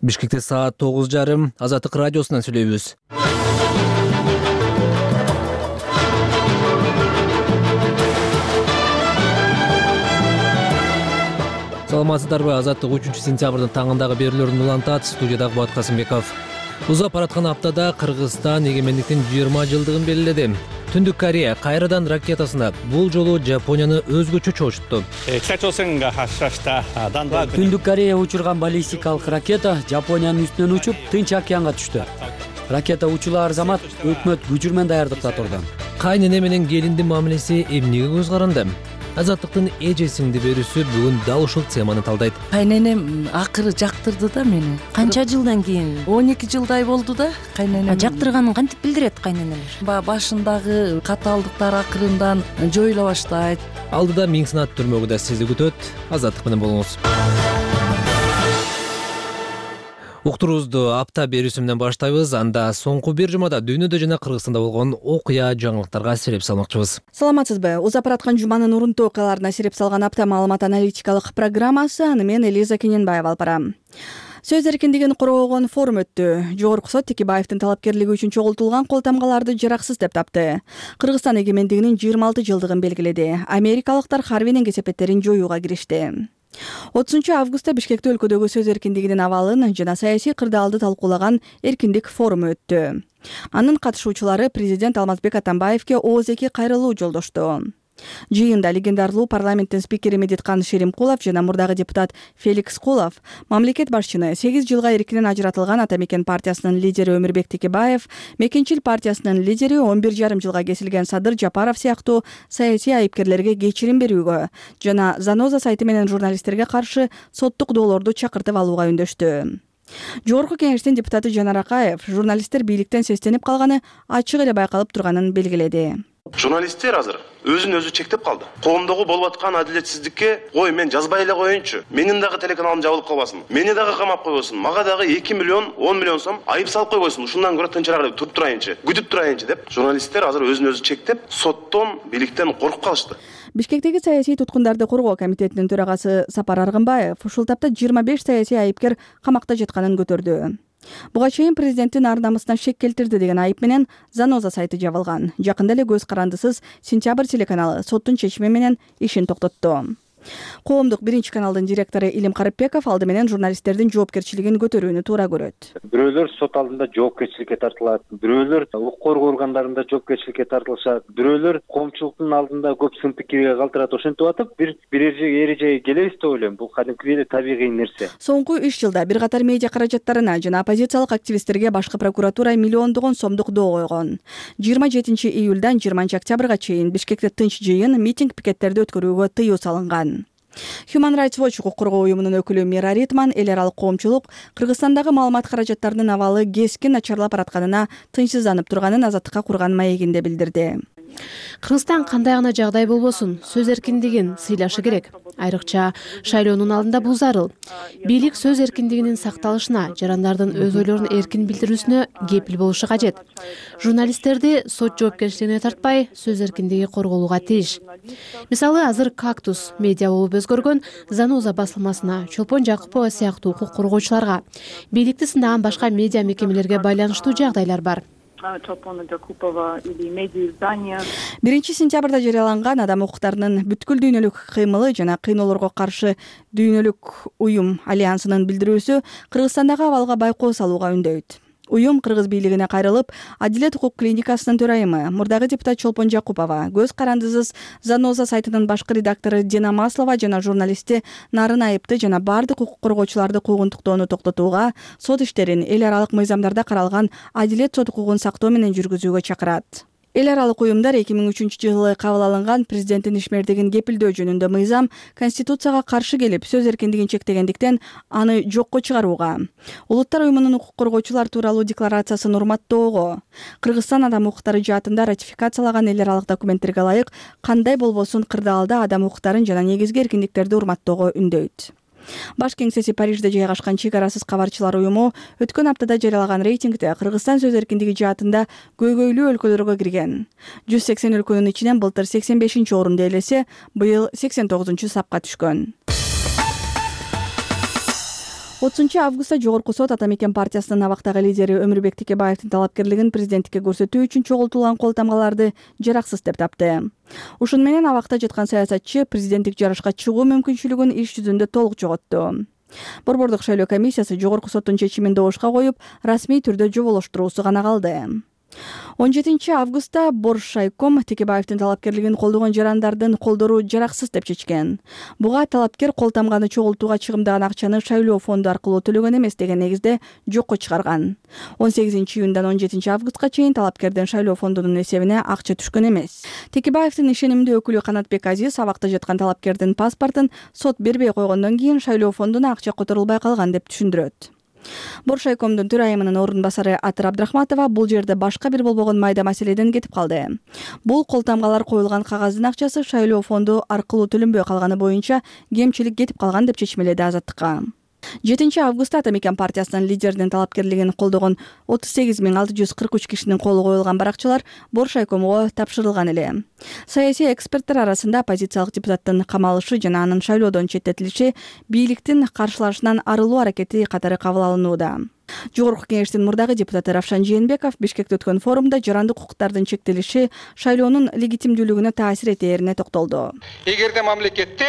Бишкекте саат 9:30 Азаттык радиосунан сүйлөйбүз. Саламатсыздарбы? Азаттык 3-сентябрдын таңындагы берүүлөрүн улантат. Студиядагы Болот Касымбеков. Узап бараткан аптада Кыргызстан эгемендиктин 20 жылдыгын белгиледи. Түндүк Корея кайрадан ракетасына бул жолу Жапонияны өзгөчө чоочту. Түндүк Корея учурган баллистикалык ракета Жапониянын үстүнөн учуп Тынч океанга түштү. Ракета учулар замат өкмөт күчү менен даярдыкта турду. Кайнене менен келиндин мамилеси эмнеге көз каранды? Азаттыктын эжесиңди берүүсү бүгүн дал ушул теманы талдайт. Кайненем акыры жактырды да мени. Канча жылдан кийин? 12 жылдай болду да кайненем. Жактырганын кантип билдирет кайненелер? Башындагы катаалдыктар акырындан жоюла баштайт. Алдыда миң сынат түрмөгү да сизди күтөт. Азаттык менен болуңуз. Уктуруубузду апта берүүсү менен баштайбыз. Анда соңку бир жумада дүйнөдө жана Кыргызстанда болгон окуя жаңылыктарга сереп салмакчыбыз. Саламатсызбы? Узап бараткан жуманын урунтуу окуяларына сереп салган апта маалымат аналитикалык программасы. Аны мен Элиза Кененбаева алып барам. Сөз эркиндигин коргогон форум өттү. Жогорку сот Текебаевдин талапкерлиги үчүн чогултулган кол тамгаларды жараксыз деп тапты. Кыргызстан эгемендигинин 26 жылдыгын белгиледи. Америкалыктар Харвинин кесепеттерин жоюуга киришти. 30-августта Бишкекте өлкөдөгү сөз эркиндигинин абалын жана саясий кырдаалды талкуулаган эркиндик форуму өттү. Анын катышуучулары президент Алмазбек Атамбаевге ооз-эки кайрылуу жолдошту. Жыйында легендарлуу парламенттин спикери Медеткан Шеримкулов жана мурдагы депутат Феликс Кулов мамлекет башчыны 8 жылга эркинен ажыратылган Ата Мекен партиясынын лидери Өмүрбек Текебаев, Мекенчил партиясынын лидери 11,5 жылга кесилген Садыр Жапаров сыяктуу саясий айыпкерлерге кечирим берүүгө жана Заноза сайты менен журналисттерге каршы соттук доолорду чакыртып алууга үндөштү. Жогорку кеңештин депутаты Жанар Акаев журналисттер бийликтен сестенип калганы ачык эле байкалып турганын белгиледи. Журналисттер азыр өзүн өзү чектеп калды. Коомдогу болуп аткан адилетсиздикке ой мен жазбай эле коеюнчу. Менин дагы телеканалым жабылып калбасын. Мени дагы камап койбосун. Мага дагы 2 миллион, 10 миллион сом айып салып койбосун. Ушундан көрө тынчыраак туруп турайынчы, күтүп турайынчы деп журналисттер азыр өзүн өзү чектеп, соттон, бийликтен коркуп калышты. Бишкектеги саясий туткундарды коргоо комитетинин төрагасы Сапар Аргынбаев ушул тапта 25 саясий айыпкер камакта жатканын көтөрдү. Буга чейин президенттин ар-намысына шек келтирди деген айып менен Заноза сайты жабылган. Жакында эле көз карандысыз Сентябрь телеканалы соттун чечими менен ишин токтотту. Коомдук биринчи каналдын директору Илим Карыпбеков алды менен журналисттердин жоопкерчилигин көтөрүүнү туура көрөт. Бирөөлөр сот алдында жоопкерчиликке тартылат, бирөөлөр укук коргоо органдарында жоопкерчиликке тартылышат, бирөөлөр коомчулуктун алдында көп сын пикирге калтырат. Ошентип атып бир эрежеге келебиз деп ойлойм. Бул кадимки эле табигый нерсе. Соңку 3 жылда бир катар медиа каражаттарына жана оппозициялык активисттерге башкы прокуратура миллиондогон сомдук доо койгон. 27-июлдан 20-октябрга чейин Бишкекте тынч жыйын, митинг, пикеттерди өткөрүүгө тыюу салынган. Human Rights Watch укук коргоо уюмунун өкүлү Мира Ритман эл аралык коомчулук Кыргызстандагы маалымат каражаттарынын абалы кескин начарлап баратканына тынчсызданып турганын Азаттыкка курган маегинде билдирди. Кыргызстан кандай гана жагдай болбосун, сөз эркиндигин сыйлашы керек. Айрыкча шайлоонун алдында бул зарыл. Бийлик сөз эркиндигинин сакталышына, жарандардын өз ойлорун эркин билдирүүсүнө кепил болушу кажет. Журналисттерди сот жоопкерчилигине тартпай, сөз эркиндиги корголууга тийиш. Мисалы, азыр Кактус медиа болуп өзгөргөн Заноза басылмасына, Чолпон Жакупова сыяктуу укук коргоочуларга, бийликти сындаган башка медиа мекемелерге байланыштуу жагдайлар бар. Биринчи сентябрда жарыяланган адам укуктарынын бүткүл дүйнөлүк кыймылы жана кыйноолорго каршы дүйнөлүк уюм альянсынын билдирүүсү Кыргызстандагы абалга байкоо салууга үндөйт. Уюм кыргыз бийлигине кайрылып, Адилет укук клиникасынын төрайымы мурдагы депутат Чолпон Жакупова, көз карандысыз Заноза сайтынын башкы редактору Дина Маслова жана журналисти Нарын Айыпты жана бардык укук коргоочуларды куугунтуктоону токтотууга, сот иштерин эл аралык мыйзамдарда каралган адилет сот укугун сактоо менен жүргүзүүгө чакырат. Эл аралык уюмдар 2003-жылы кабыл алынган президенттин ишмердигин кепилдөө жөнүндө мыйзам Конституцияга каршы келип, сөз эркиндигин чектегендиктен аны жокко чыгарууга, Улуттар уюмунун укук коргоочулар тууралуу декларациясын урматтоого, Кыргызстан адам укуктары жаатында ратификациялаган эл аралык документтерге ылайык кандай болбосун кырдаалда адам укуктарын жана негизги эркиндиктерди урматтоого үндөйт. Баш кеңсеси Парижде жайгашкан Чек арасыз кабарчылар уюму өткөн аптада жарыялаган рейтингде Кыргызстан сөз эркиндиги жаатында көйгөйлүү өлкөлөргө кирген. 180 өлкөнүн ичинен былтыр 85-орунду ээлесе, быйыл 89-сапка түшкөн. Августта Жогорку сот Ата Мекен партиясынын абактагы лидери Өмүрбек Текебаевдин талапкерлигин президенттикке көрсөтүү үчүн чогултулган кол тамгаларды жараксыз деп тапты. Ушун менен абакта жаткан саясатчы президенттик жарышка чыгуу мүмкүнчүлүгүн иш жүзүндө толук жоготту. Борбордук шайлоо комиссиясы Жогорку соттун чечимин добушка коюп, расмий түрдө жоболоштуруусу гана калды. 17 августта Боршайком Текебаевдин талапкерлигин колдогон жарандардын колдору жараксыз деп чечкен. Буга талапкер кол тамганы чогултууга чыгымдаган акчаны шайлоо фонду аркылуу төлөгөн эмес деген негизде жокко чыгарган. 18 июндан 17 августка чейин талапкердин шайлоо фондунун эсебине акча түшкөн эмес. Текебаевдин ишенимдүү өкүлү Канатбек Азиз абакта жаткан талапкердин паспортун сот бербей койгондон кийин шайлоо фондуна акча которулбай калган деп түшүндүрөт. Боршайкомдун төрайымынын орун басары Атыр Абдрахматова бул жерде башка бир болбогон майда маселеден кетип калды. Бул кол тамгалар коюлган кагаздын акчасы шайлоо фонду аркылуу төлөнбөй калганы боюнча кемчилик кетип калган деп чечмеледи Азаттыкка. 7 августта Ата Мекен партиясынын лидеринин талапкерлигин колдогон 38.643 кишинин колу коюлган баракчалар Боршайкомго тапшырылган эле. Саясий эксперттер арасында оппозициялык депутаттын камалышы жана анын шайлоодон четтетилиши бийликтин каршылашынан арылуу аракети катары кабыл алынууда. Жогорку кеңештин мурдагы депутаты Равшан Жээнбеков Бишкекте өткөн форумда жарандык укуктардын чектелиши шайлоонун легитимдүүлүгүнө таасир этээрине токтолду. Эгерде мамлекетте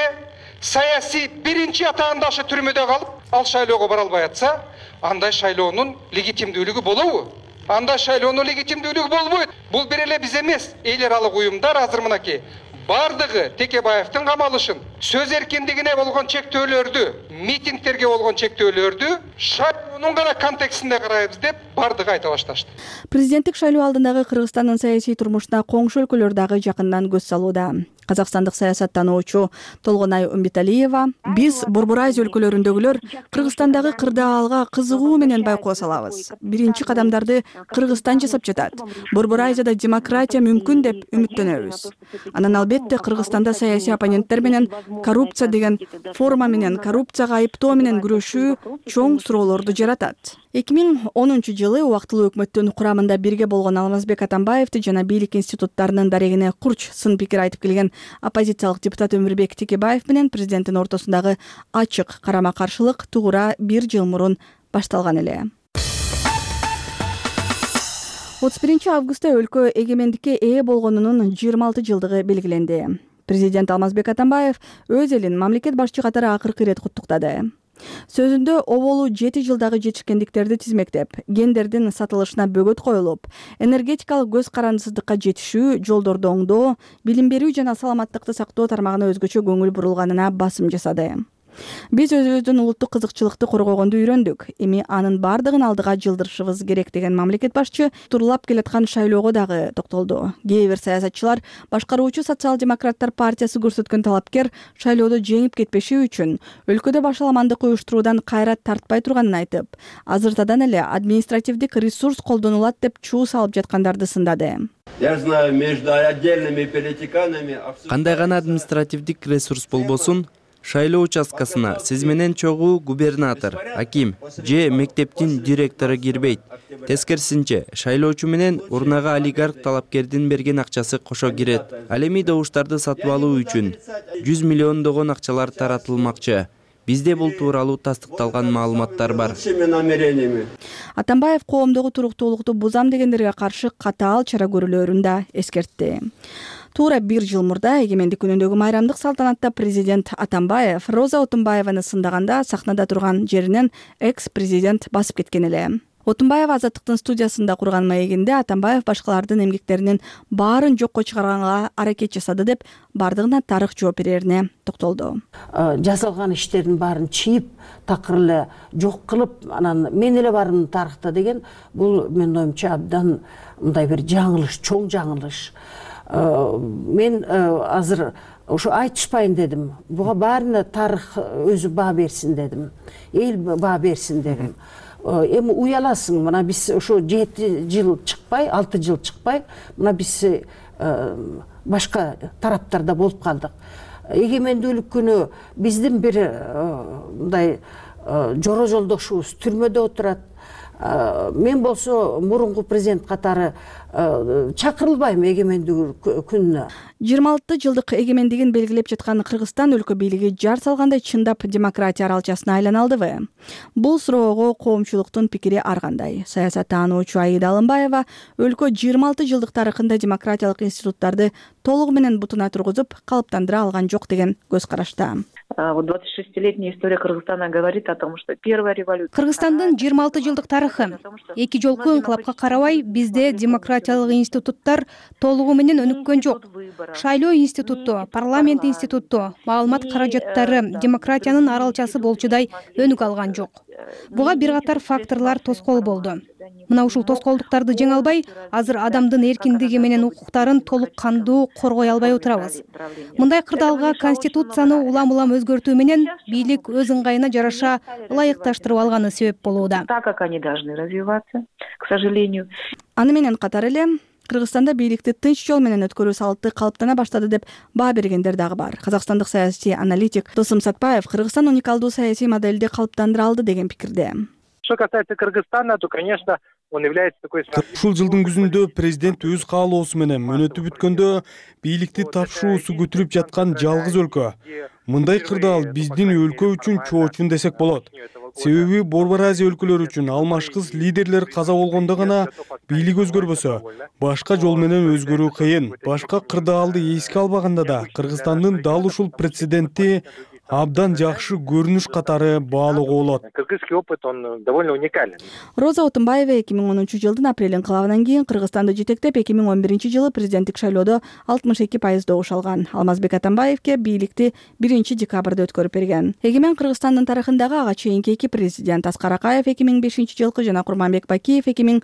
саясий биринчи атаандашы түрмөдө калып, ал шайлоого бара албай атса, андай шайлоонун легитимдүүлүгү болобу? Андай шайлоонун легитимдүүлүгү болбойт. Бул бир эле биз эмес, эл аралык уюмдар азыр мынакей бардыгы Текебаевдин камалышын, сөз эркиндигине болгон чектөөлөрдү, митингтерге болгон чектөөлөрдү шайлоонун гана контекстинде карайбыз деп бардыгы айта башташты. Президенттик шайлоо алдындагы Кыргызстандын саясий турмушуна коңшу өлкөлөр дагы жакындан көз салууда. Казакстандык саясаттануучу Толгонай Умбеталиева: "Биз Борбор Азия өлкөлөрүндөгүлөр Кыргызстандагы кырдаалга кызыгуу менен байкоо салабыз. Биринчи кадамдарды Кыргызстан жасап жатат. Борбор Азияда демократия мүмкүн деп үмүттөнөбүз. Анан албетте Кыргызстанда саясий оппоненттер менен коррупция деген форма менен коррупцияга айыптоо менен күрөшүү чоң суроолорду жаратат." 2010 жылы убактылуу өкмөттүн курамында бирге болгон Алмазбек Атамбаевди жана бийлик институттарынын дарегине курч сын пикир айтып келген оппозициялык депутат Өмүрбек Текебаев менен президенттин ортосундагы ачык карама-каршылык туура 1 жыл мурун башталган эле. 31 августта өлкө эгемендикке ээ болгонунун 26 жылдыгы белгиленди. Президент Алмазбек Атамбаев өз элин мамлекет башчы катары акыркы ирет куттуктады. Сөзүндө оболу 7 жылдагы жетишкендиктерди тизмектеп, гендердин сатылышына бөгөт коюлуп, энергетикалык көз карандысыздыкка жетишүү, жолдорду оңдоо, билим берүү жана саламаттыкты сактоо тармагына өзгөчө көңүл бурулганына басым жасады. Биз өзүбүздүн улуттук кызыкчылыкты коргогонду үйрөндүк. Эми анын бардыгын алдыга жылдырышыбыз керек деген мамлекет башчы турлап келаткан шайлоого дагы токтолду. Кээ бир саясатчылар башкаруучу социал-демократтар партиясы көрсөткөн талапкер шайлоодо жеңип кетпеши үчүн өлкөдө башаламандык уюштуруудан кайрат тартпай турганын айтып, азыртадан эле административдик ресурс колдонулат деп чуу салып жаткандарды сындады. Кандай гана административдик ресурс болбосун, шайлоо участкасына сиз менен чогуу губернатор, аким же мектептин директору кирбейт. Тескерисинче, шайлоочу менен урнага олигарх талапкердин берген акчасы кошо кирет. Ал эми добуштарды сатып алуу үчүн 100 миллиондогон акчалар таратылмакчы. Бизде бул тууралуу тастыкталган маалыматтар бар. Атамбаев коомдогу туруктуулукту бузам дегендерге каршы катаал чара көрүлөрүн да эскертти. Туура 1 жыл мурда эгемендик күнүндөгү майрамдык салтанатта президент Атамбаев Роза Отунбаеваны сындаганда сахнада турган жеринен экс-президент басып кеткен эле. Отунбаев Азаттыктын студиясында курган маегинде Атамбаев башкалардын эмгектеринин баарын жокко чыгарганга аракет жасады деп бардыгына тарых жооп берерине токтолду. Жасалган иштердин баарын чийип, такыр эле жок кылып, анан мен эле бармын тарыхта деген бул менин оюмча абдан мындай бир жаңылыш, чоң жаңылыш. Мен азыр ошо айтышпайын дедим. Буга баарына тарых өзү баа берсин дедим. Эл баа берсин дедим. Эми уяласың, мына биз ошо 7 жыл чыкпай, 6 жыл чыкпай, мына биз башка тараптарда болуп калдык. Эгемендүүлүк күнү биздин бир мындай жоро жолдошубуз түрмөдө отурат. Мен болсо мурунку президент катары чакырылбайм эгемендүү күнүнө. 26 жылдык эгемендигин белгилеп жаткан Кыргызстан өлкө бийлиги жар салгандай чындап демократия аралчасына айланалдыбы? Бул суроого коомчулуктун пикири ар кандай. Саясаттануучу Аида Алымбаева өлкө 26 жылдык тарыхында демократиялык институттарды толугу менен бутуна тургузуп, калыптандыра алган жок деген көз карашта. 26-летняя история Кыргызстана говорит о том, что первая революция. Кыргызстандын 26 жылдык тарыхы. Эки жолку инкылапка карабай бизде демократиялык институттар толугу менен өнүккөн жок. Шайлоо институту, парламент институту, маалымат каражаттары демократиянын аралчасы болчудай өнүк алган жок. Буга бир катар факторлор тоскоол болду. Мына ушул тоскоолдуктарды жеңе албай, азыр адамдын эркиндиги менен укуктарын толук кандуу коргой албай отурабыз. Мындай кырдаалга конституцияны улам-улам өзгөртүү менен бийлик өз ыңгайына жараша ылайыкташтырып алганы себеп болууда. Так как они должны развиваться, к сожалению. Аны менен катар эле Кыргызстанда бийликти тынч жол менен өткөрүү салты калыптана баштады деп баа бергендер дагы бар. Казакстандык саясий аналитик Досум Сатпаев Кыргызстан уникалдуу саясий моделди калыптандыра алды деген пикирде. Что касается Кыргызстана, то, конечно, он является такой... Ушул жылдын күзүндө президент өз каалоосу менен мөөнөтү бүткөндө бийликти тапшыруусу көтүрүп жаткан жалгыз өлкө. Мындай кырдаал биздин өлкө үчүн чоочун десек болот. Себеби Борбор Азия өлкөлөрү үчүн алмашкыс лидерлер каза болгондо гана бийлик өзгөрбөсө, башка жол менен өзгөрүү кыйын. Башка кырдаалды эске албаганда да Кыргызстандын дал ушул прецеденти абдан жакшы көрүнүш катары баалоого болот. Кыргызский опыт, он довольно уникален. Роза Отунбаева 2010 жылдын апрель инкылабынан кийин Кыргызстанды жетектеп 2011 жылы президенттик шайлоодо 62% добуш алган. Алмазбек Атамбаевке бийликти 1 декабрда өткөрүп берген. Эгемен Кыргызстандын тарыхындагы ага чейинки эки президент Аскар Акаев 2005 жылкы жана Курманбек Бакиев 2010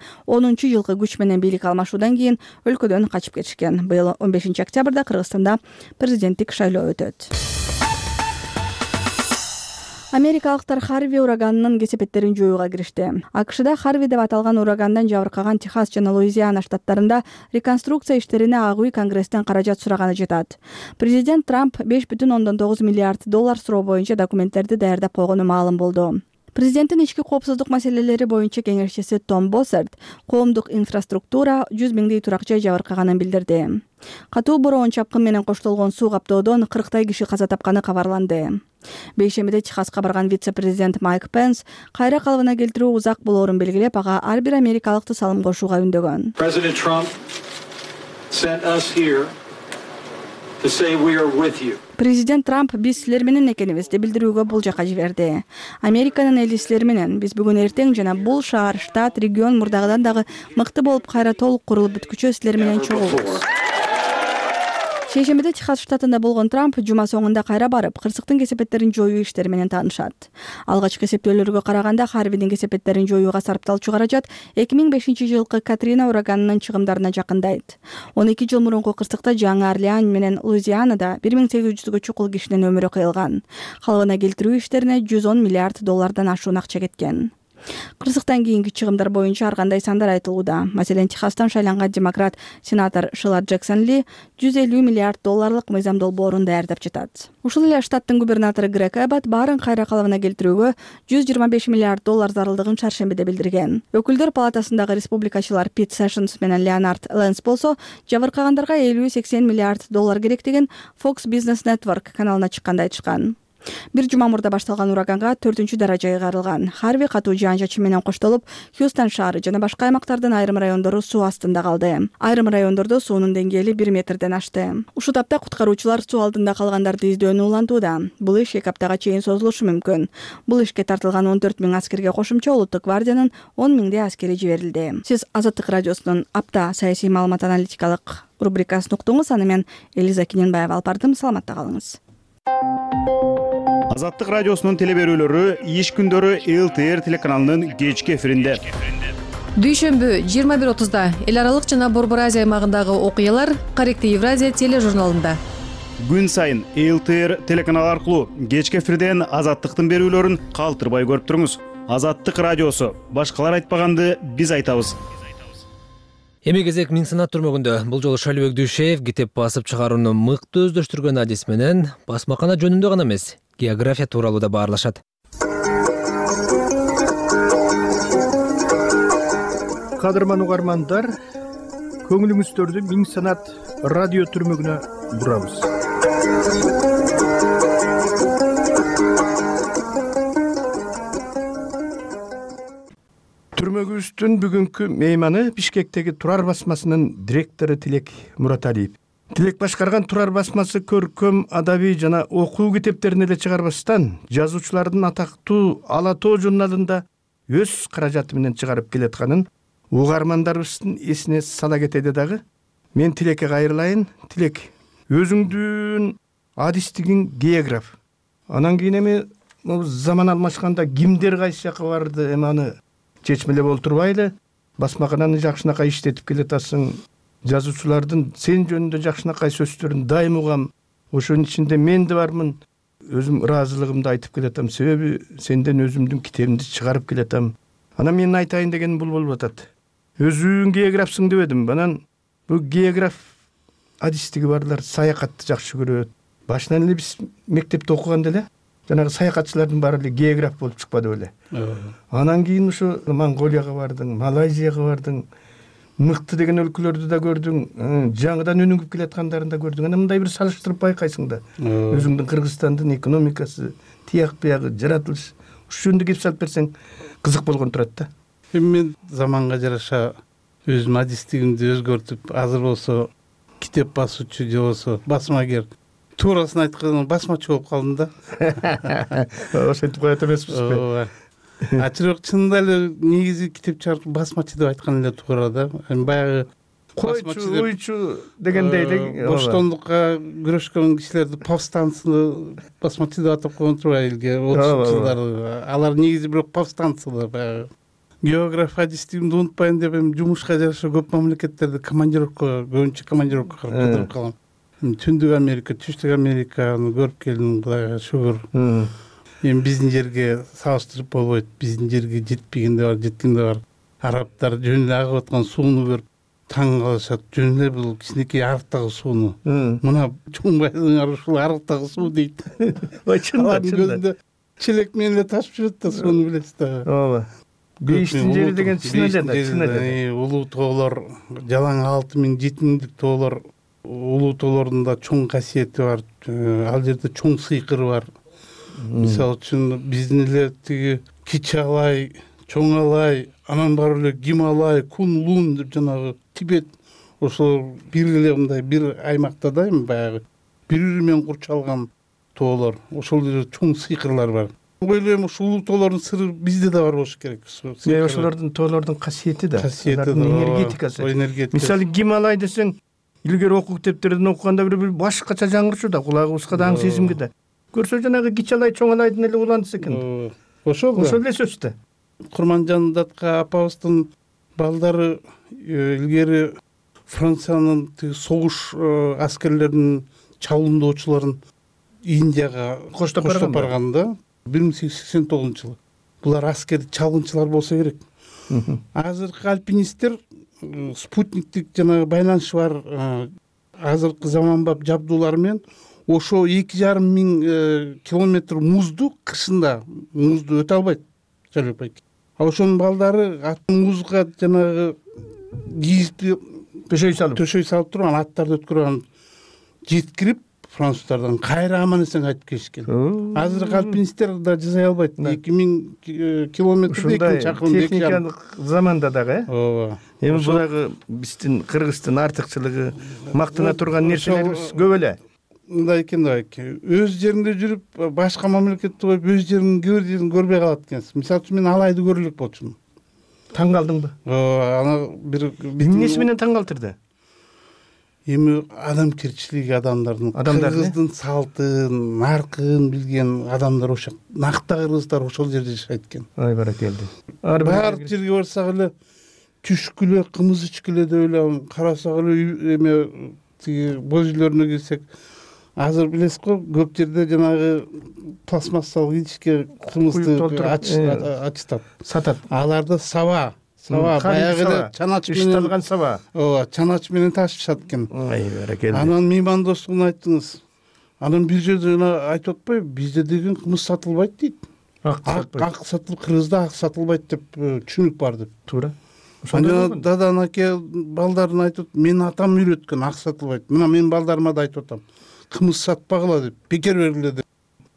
жылкы күч менен бийлик алмашуудан кийин өлкөдөн качып кетишкен. Быйыл 15 октябрда Кыргызстанда президенттик шайлоо өтөт. Америкалыктар Харви ураганынын кесепеттерин жоюуга киришти. АКШда Харви деп аталган урагандан жабыркаган Техас жана Луизиана штаттарында реконструкция иштерине Ак үй Конгресстен каражат сураганы жатат. Президент Трамп $5,9 миллиард суроо боюнча документтерди даярдап койгону маалым болду. Президенттин ички коопсуздук маселелери боюнча кеңешчиси Том Боссерт коомдук инфраструктура 100 миңдей турак жай жабыркаганын билдирди. Катуу бороон чапкын менен коштолгон суу каптоодон 40 киши каза тапканы кабарланды. Бейшембиде Техаска барган вице-президент Майк Пенс кайра калыбына келтирүү узак болоорун белгилеп, ага ар бир америкалыкты салым кошууга үндөгөн. President Trump sent us here to say we are with you. Президент Трамп биз силер менен экенибизди билдирүүгө бул жака жиберди. Американын эли силер менен, биз бүгүн эртең жана бул шаар, штат, регион мурдагыдан дагы мыкты болуп кайра толук курулуп бүткүчө силер менен чогулбуз. Шейшембиде Техас штатында болгон Трамп жума соңунда кайра барып, кырсыктын кесепеттерин жоюу иштери менен таанышат. Алгачкы эсептөөлөргө караганда Харвидин кесепеттерин жоюуга сарпталчу каражат 2005 жылкы Катрина ураганынын чыгымдарына жакындайт. 12 жыл мурунку кырсыкта Жаңы Орлеан менен Луизианада 1800гө чукул кишинин өмүрү кыйылган. Калыбына келтирүү иштерине $110 миллиард ашуун акча кеткен. Кырсыктан кийинки чыгымдар боюнча ар кандай сандар айтылууда. Маселен, Техастан шайланган демократ сенатор Шила Джексон Ли $150 миллиард мыйзам долбоорун даярдап жатат. Ушул эле штаттын губернатору Грег Эббот баарын кайра калыбына келтирүүгө $125 миллиард зарылдыгын чаршембиде билдирген. Өкүлдөр палатасындагы республикачылар Пит Сэшнс менен Леонард Ленс болсо, жабыркагандарга 50-80 миллиард келектигин Fox Business Network каналына чыкканда айтышкан. Бир жума мурда башталган ураганга 4-даражага кайрылган. Харви катуу жаан-чачын менен коштолуп, Хьюстон шаары жана башка аймактардын айрым райондору суу астында калды. Айрым райондордо суунун деңгээли 1 метрден ашты. Ушул тапта куткаруучулар суу алдында калгандарды издөөнү улантууда. Бул иш 2 аптага чейин созулушу мүмкүн. Бул ишке тартылган 14 000 аскерге кошумча Улуттук гвардиянын 10 000 аскери жиберилди. Сиз Азаттык радиосунун апта саясий маалымат аналитикалык рубрикасын уктуңуз. Аны мен Элиза Киненбаева алып бардым. Саламатта калыңыз. Азаттык радиосунун телеберүүлөрү иш күндөрү ЛТР телеканалынын кечки эфиринде. Дүйшөмбү 21:30 эл аралык жана Борбор Азия аймагындагы окуялар Корректив Евразия тележурналында. Күн сайын ЛТР телеканалы аркылуу кечки эфирден Азаттыктын берүүлөрүн калтырбай көрүп туруңуз. Азаттык радиосу. Башкалар айтпаганды биз айтабыз. Эми кезек Миң санат түрмөгүндө. Бул жолу Шалыбек Дүйшеев китеп басып чыгарууну мыкты өздөштүргөн адис менен басмакана жөнүндө гана эмес, география тууралуу да баарлашат. кадырман угармандар, көңүлүңүздөрдү Миң санат радио түрмөгүнө бурабыз. Түрмөгүбүздүн бүгүнкү мейманы Бишкектеги Турар басмасынын директору Тилек Мураталиев. Тилек башкарган Турар басмасы көркөм, адабий жана окуу китептерин эле чыгарбастан, жазуучулардын атактуу Ала тоо журналында өз каражаты менен чыгарып келатканын угармандарыбыздын эсине сала кетеди дагы. Мен Тилекке кайрылайын. Тилек, өзүңдүн адистигиң географ. Анан кийин эми заман алмашканда кимдер кайсы жака барды, эми аны чечмелеп олтурбайлы. Басмакананы жакшынакай иштетип келатасың. Жазуучулардын сен жөнүндө жакшынакай сөздөрүн дайым угам. Ошонун ичинде мен да бармын. Өзүм ыраазылыгымды айтып келатам. Себеби сенден өзүмдүн китебимди чыгарып келатам. Анан менин айтайын дегеним бул болуп атат. Өзүң географсың деп эдим. Анан бул географ адистиги барлар саякатты жакшы көрөт. Башынан эле биз мектепте окуганда эле жанагы саякатчылардын баары эле географ болуп чыкпады беле. Анан кийин ушу Монголияга бардың, Малайзияга бардың, мыкты деген өлкөлөрдү да көрдүң, жаңыдан өнүгүп келаткандарын да көрдүң. Анан мындай бир салыштырып байкайсың да. Өзүңдүн Кыргызстандын экономикасы, тияк биягы, жаратылыш, ушул жөнүндө кеп салып берсең кызык болгон турат да. Эми мен заманга жараша өзүм адистигимди өзгөртүп, азыр болсо китеп басуучу же болсо басмагер, туурасын айтканда басмачы болуп калдым да. Ошентип коет эмеспиз. Бирок чынында эле негизи китеп чыгарып басмачы деп айткан эле туура да. Эми баягы койчу, уйчу дегендей эле боштондукка күрөшкөн кишилерди повстанцы басмачы деп атап койгон турбайбы элге 30 жылдары. Алар негизи бирок повстанцылар баягы. Географ адистигимди унутпайын деп эми жумушка жараша көп мамлекеттерди командировкага, көбүнчө командировкага кыдырып калам. Түндүк Америка, Түштүк Американы көрүп келдим, Кудайга шүгүр. Эми биздин жерге салыштырып болбойт. Биздин жерге жетпеген да бар, жеткен да бар. Арабтар жөн эле агып аткан сууну көрүп таң калышат. Жөн эле бул кичинекей арыктагы сууну. Мына чоңбайдың ушул арыктагы суу дейт. Ой, чынында. Көзүндө челек менен эле ташып жүрөт да, сууну билесиз да. Ооба. Бейиштин жери деген чын эле. Улуу тоолор, жалаң 6000, 7000 тоолор, улуу тоолордун да чоң касиети бар. Ал жерде чоң сыйкыр бар. Мисалы үчүн биздин эле тиги Кичалай, Чоңалай, анан бар эле Гималай, Кунлун деп жанагы Тибет, ошол бир эле мындай бир аймакта да эми баягы бири-бири менен курчалган тоолор, ошол жерде чоң сыйкырлар бар. Ойлойм, ушул улуу тоолордун сыры bizde да бар болуш керек. Ошолордун тоолордун касиети да, энергетикасы. Мисалы Гималай десең, илгери окуу китептерден окуганда бир башкача жаңырчу да, кулагыбызга да, аң сезимге да. Көрсө жанагы Кичалай, Чоңалайдын эле уландысы экен. Ошол эле сөз да. Курманжан Датка апабыздын балдары илгери Франциянын согуш аскерлеринин чабуулдоочуларын Индияга коштоп барган да. 1889-жылы. Булар аскерди чалгынчылар болсо керек. Азыркы альпинисттер спутниктик жана байланышы бар азыркы заманбап жабдуулар менен ошо 2,5 миң километр музду кышында музду өтө албайт. А ошонун балдары музга жанагы кийизди төшөй салып туруп, аттарды өткөрүп жеткирип француздардан кайра аман эсен кайтып келишкен. Азыркы альпинисттер да жасай албайт. 2000 километр чакырым техникалык заманда дагы, ооба. Эми булагы биздин Кыргыздын артыкчылыгы, мактана турган нерселерибиз көп эле. Мындай экен да, өз жеринде жүрүп, башка мамлекетти коюп, өз жеринин кээ бир жерин көрбөй калат экенсиз. Мисалы үчүн мен Алайды көрө элек болчумун. Таң калдыңбы? Ана бир эмнеси менен таң калтырды? Эми адамкерчилиги адамдардын, Кыргыздын салтын, наркын билген адамдар ошо. Накта кыргыздар ошол жерде жашайт экен. Ай баракелди. Баар жерге барсак эле түшкүлө, кымыз ичкиле деп эле карасак эле эме тиги боз үйлөрүнө келсек, азыр билесиз го, көп жерде жанагы пластмассалык идишке кымызды ачтап сатат. Аларда саба баягы чанач менен ишталган саба. Ооба, чанач менен ташышат экен. Ай баракелди. Анан меймандостугун айттыңыз. Анан бир жерде айтып атпайбы, бизде деген кымыз сатылбайт дейт. Ак сатылып, Кыргызда ак сатылбайт деп түшүнүк бар деп. Туура. жана дадан аке балдарын айтып, мен атам үйрөткөн ак сатылбайт. Мына мен балдарыма да айтып атам. Кымыз сатпагыла деп, бекер бергиле деп.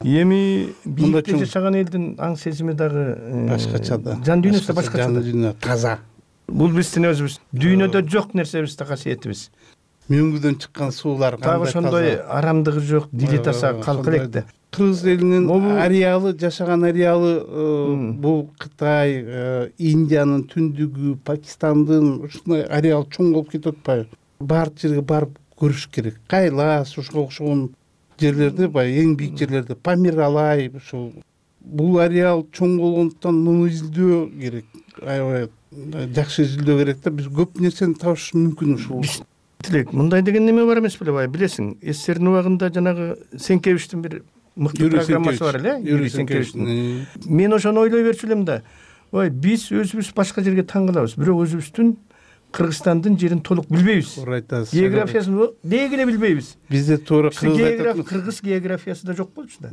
Эми бийикте жашаган элдин аң сезими дагы башкача да. Жан дүйнөсү да башкача. Жан дүйнө таза. Бул биздин өзүбүз дүйнөдө жок нерсебиз да касиетибиз. Мөңгүдөн чыккан суулар дагы ошондой арамдыгы жок, дили таза калк элек да. Кыргыз элинин ареалы, жашаган ареалы бул Кытай, Индиянын түндүгү, Пакистандын ушундай ареал чоң болуп кетип атпайбы? Баардык жерге барып көрүш керек. Кайлас, ушуга окшогон жерлерде, баягы эң бийик жерлерде Памир алай, ушул бул ареал чоң болгондуктан муну изилдөө керек. Аябай жакшы изилдөө керек да. Биз көп нерсени табыш мүмкүн ушул. Тилек, мындай деген неме бар эмес беле, билесиң? СССРдин убагында жанагы Сенкевичтин бир мыкты программасы бар эле, Юрий Сенкевичтин. Мен ошону ойлой берчү элем да. Ой, биз өзүбүз башка жерге таң калабыз, бирок өзүбүздүн Кыргызстандын жерин толук билбейбиз. Туура айтасыз. Географиясын деги эле билбейбиз. Бизде туура Кыргыз географиясы да жок болчу да.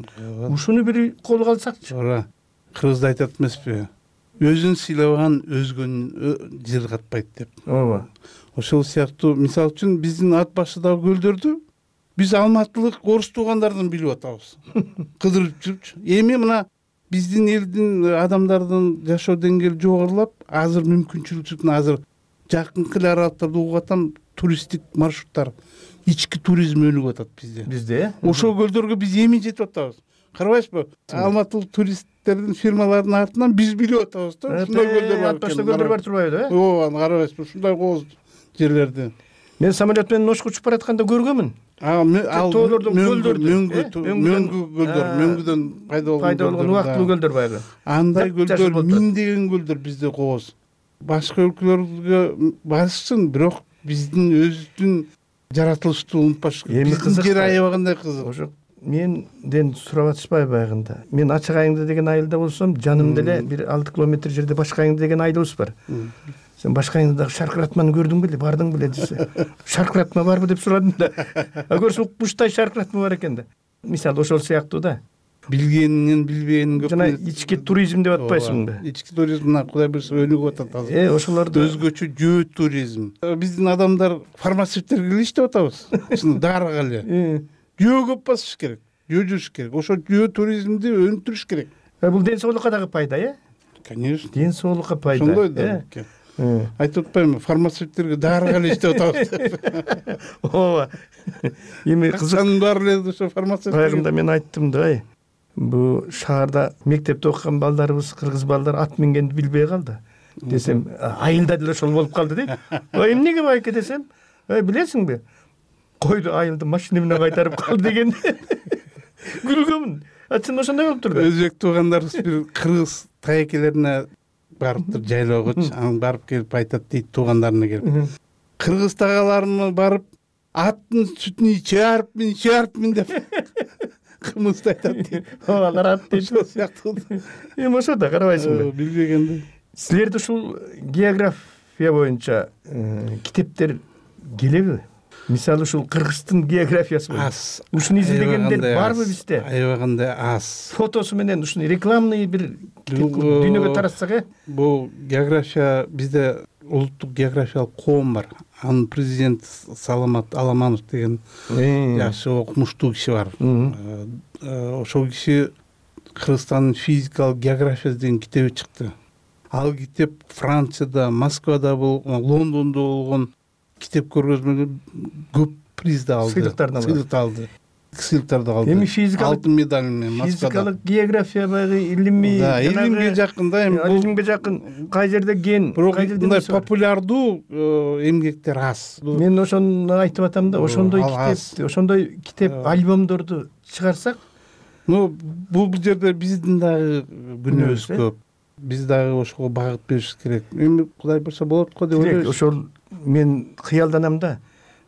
Ушуну бир колго алсакчы. Туура. Кыргызда айтат эмеспи? Өзүн сыйлабаган өзгөнүн жер катпайт деп. Ооба. Ошол сыяктуу, мисалы үчүн биздин ат башыдагы көлдөрдү биз алматылык орус туугандардан билип атабыз. Кыдырып жүрүпчү. Эми мына биздин элдин адамдардын жашоо деңгээли жогорулап, азыр мүмкүнчүлүк азыр жакынкы эле аралыктарда угуп атам, туристтик маршруттар, ички туризм өнүгүп атат bizde. Бизде? Ошол көлдөргө биз эми жетип атабыз. Карабайсызбы? Алматылык туристтердин фирмаларынын артынан биз билип атабыз да. Ушундай көлдөр бар. Атбашта көлдөр бар турбайбы, э? Ооба, карабайсызбы? Ушундай кооз жерлерди. Мен самолет менен Ошко учуп баратканда көргөнмүн. Ал мөңгү көлдөр, мөңгүдөн пайда болгон убактылуу көлдөр баягы. Андай көлдөр, миңдеген көлдөр бизде кооз. Башка өлкөлөргө барышсын, бирок биздин өзүбүздүн жаратылышты унутпаш керек. Биздин жер аябагандай кызык. Ошо менден сурап атышпайбы баягында. Мен Ачык Айыңды деген айылда болсом, жанымда эле бир 6 километр жерде Башкы Айың деген айылыбыз бар. Сен Башкы Айыңдагы шаркыратманы көрдүң беле, бардың беле десе. Шаркыратма барбы деп сурадым да. Көрсө укмуштай шаркыратма бар экен да. Мисалы ошол сыяктуу да. Билгенинен билбегенин көп. Жана ички туризм деп атпайсыңбы? Ички туризм Кудай буйрса өнүгүп атат азыр. Ошолорду өзгөчө жөө туризм. Биздин адамдар фармацевттерге эле иштеп атабыз. Ушуну дарыга эле. Жөө көп басыш керек. Жөө жүрүш керек. Ошо жөө туризмди өнүктүрүш керек. Бул ден соолукка дагы пайда, э? Конечно. Ден соолукка пайда. Ошондой да. Айтып атпаймынбы, фармацевттерге дарыга эле иштеп атабыз деп. Ооба. Эми кызыкчанын баары эле ошо фармацевт. Баягында мен айттым да, бу шаарда мектепте окуган балдарыбыз, кыргыз балдар ат мингенди билбей калды десем, айылда деле ошол болуп калды дейт. Ой, эмнеге байке десем, билесиңби? Койду айылды машина менен кайтарып калды деген. Күлгөмүн. Чын ошондой болуп турду. Өзбек туугандарыбыз бир кыргыз тайекелерине барыптыр жайлоогочу, анан барып келип айтат дейт туугандарына келип. Кыргыз тагаларыма барып аттын сүтүн ичиарыпмын деп кымызды айтат дейт. Алар ат дейт. Ошол сыяктуу. Эми ошо да карабайсыңбы? Билбегенди. Силерде ушул география боюнча китептер келеби? Мисалы ушул Кыргыздын географиясы аз. Ушуну изилдегендер барбы бизде? Аябагандай аз. Фотосу менен ушуну рекламный бир дүйнөгө таратсак, э? Бул география бизде улуттук географиялык коом бар. Анын президент Саламат Аламанов деген жакшы окумуштуу киши бар. Ошол киши Кыргызстандын физикалык географиясы деген китеби чыкты. Ал китеп Францияда, Москвада Лондондо болгон китеп көргөзмөлөр көп призди алды. Сыйлыктарды алды. Сыйлыктарды алды. Эми физикалык алтын медаль менен Москвада. Физикалык география баягы илимий, илимге жакын да, эми илимге жакын. Кай жерде ген, кай жерде мындай популярдуу эмгектер аз. Мен ошону айтып атам да, ошондой китеп альбомдорду чыгарсак, бул жерде биздин дагы күнөөбүз көп. Биз дагы ошого багыт бериш керек. Эми Кудай буйрса болот го деп ойлойбуз. Ошол мен кыялданам да.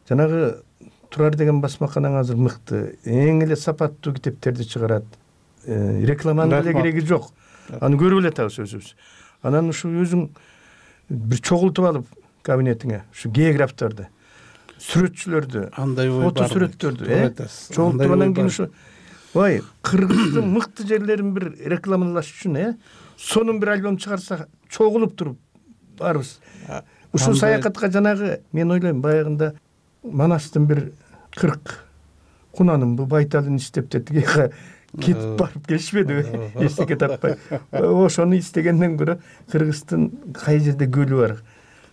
Жанагы Турар деген басмаканаң азыр мыкты, эң эле сапаттуу китептерди чыгарат. Рекламанын деле кереги жок. Аны көрүп эле атабыз өзүбүз. Анан ушу өзүң бир чогултуп алып кабинетиңе ушу географтарды, сүрөтчүлөрдү, фото сүрөттөрдү, чогултуп анан кийин ушу ой, Кыргыздын мыкты жерлерин бир рекламалаш үчүн, сонун бир альбом чыгарса, чогулуп туруп баарыбыз. Ушул саякатка жанагы мен ойлойм баягында Манастын бир 40 кунанын бу байталын иштеп тетиге кетип барып келишпедиби, эчтеке таппай. Ошону истегенден көрө Кыргыздын кай жерде көлү бар,